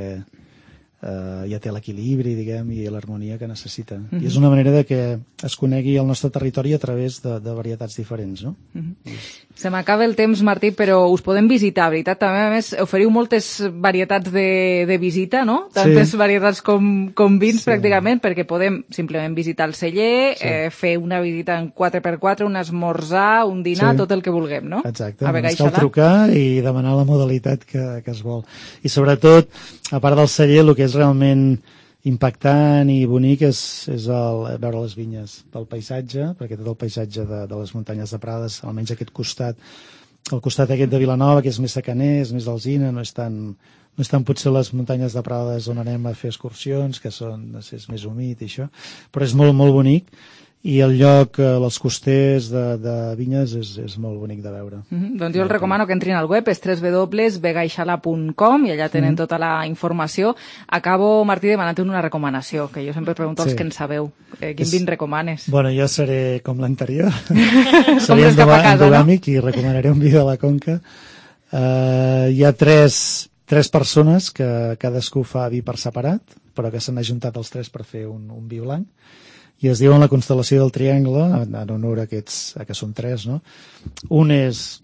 Eh, ja té l'equilibri, diguem, i l'harmonia que necessita. Mm-hmm. I és una manera de que es conegui el nostre territori a través de, de varietats diferents, no? Mm-hmm. Se m'acaba el temps, Martí, però us podem visitar, veritat? També, a més, oferiu moltes varietats de, de visita, no? Tantes sí. varietats com, com vins, sí. pràcticament, perquè podem simplement visitar el celler, sí. eh, fer una visita en quatre per quatre, un esmorzar, un dinar, sí. tot el que vulguem, no? Exacte, ens cal trucar i demanar la modalitat que, que es vol. I sobretot, a part del celler, el que és realment impactant i bonic és, és el, veure les vinyes pel paisatge, perquè tot el paisatge de, de les muntanyes de Prades, almenys aquest costat, el costat aquest de Vilanova, que és més secaner, és més d'alzina, no és tan, no és tan potser les muntanyes de Prades on anem a fer excursions, que són, no sé, és més humit i això, però és molt, molt bonic. I el lloc, els costers de, de vinyes, és, és molt bonic de veure. Mm-hmm. Doncs jo el recomano que entrin al web, és w w w punt vegaixala punt com i allà tenen mm-hmm. tota la informació. Acabo, Martí, demanant una recomanació, que jo sempre pregunto als sí. que en sabeu. Eh, quin és... vin recomanes? Bueno, jo seré com l'anterior. Seré endogàmic, no? I recomanaré un vi de la Conca. Uh, hi ha tres, tres persones que cadascú fa vi per separat, però que s'han ajuntat els tres per fer un, un vi blanc. I es diuen la constel·lació del Triangle, en honor a aquests, a que són tres, no? Un és,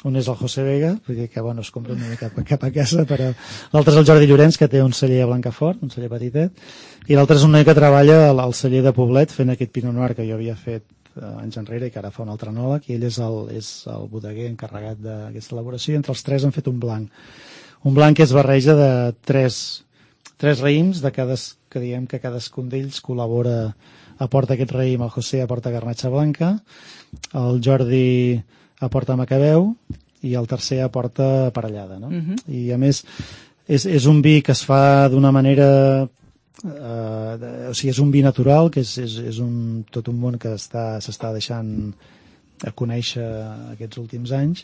un és el José Vega, vull dir que, bueno, es compra una mica cap, cap a casa, però l'altre és el Jordi Llorenç, que té un celler a Blancafort, un celler petitet, i l'altre és un noi que treballa al, al celler de Poblet fent aquest Pinot Noir que jo havia fet eh, anys enrere i que ara fa un altre enòleg, i ell és el, és el bodeguer encarregat d'aquesta elaboració, i entre els tres han fet un blanc. Un blanc que es barreja de tres, tres raïms, de cada, que diem que cadascun d'ells col·labora, aporta aquest raïm, el José aporta garnatxa blanca, el Jordi aporta macabeu i el tercer aporta parellada, no? Uh-huh. I a més és, és un vi que es fa d'una manera eh, de, o sigui, és un vi natural, que és, és, és un, tot un món que està, s'està deixant a conèixer aquests últims anys,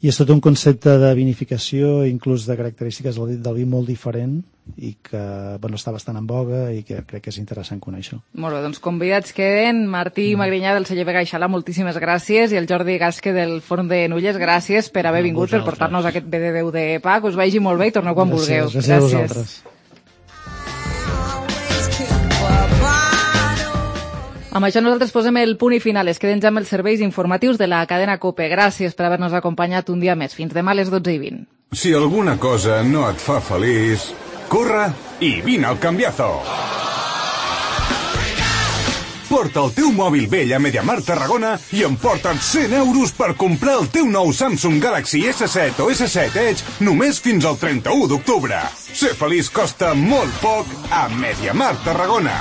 i és tot un concepte de vinificació, inclús de característiques del, del vi molt diferent, i que bueno, està bastant en boga i que crec que és interessant conèixer. Molt bé, doncs convidats queden Martí mm. Magrinyà del celler Vegaixala, moltíssimes gràcies, i el Jordi Gasque del Forn de Nulles, gràcies per haver vingut, per portar-nos aquest B de Déu de Pa, que us vagi molt bé i torneu quan gràcies, vulgueu. Gràcies, gràcies a vosaltres. Amb això nosaltres posem el punt i final. Es queden ja amb els serveis informatius de la cadena COPE. Gràcies per haver-nos acompanyat un dia més. Fins demà a les dotze i vint. Si alguna cosa no et fa feliç, corre i vine al Cambiazo. Porta el teu mòbil vell a MediaMarkt Tarragona i emporta't cent euros per comprar el teu nou Samsung Galaxy esse set o esse set Edge només fins al trenta-u d'octubre. Ser feliç costa molt poc a MediaMarkt Tarragona.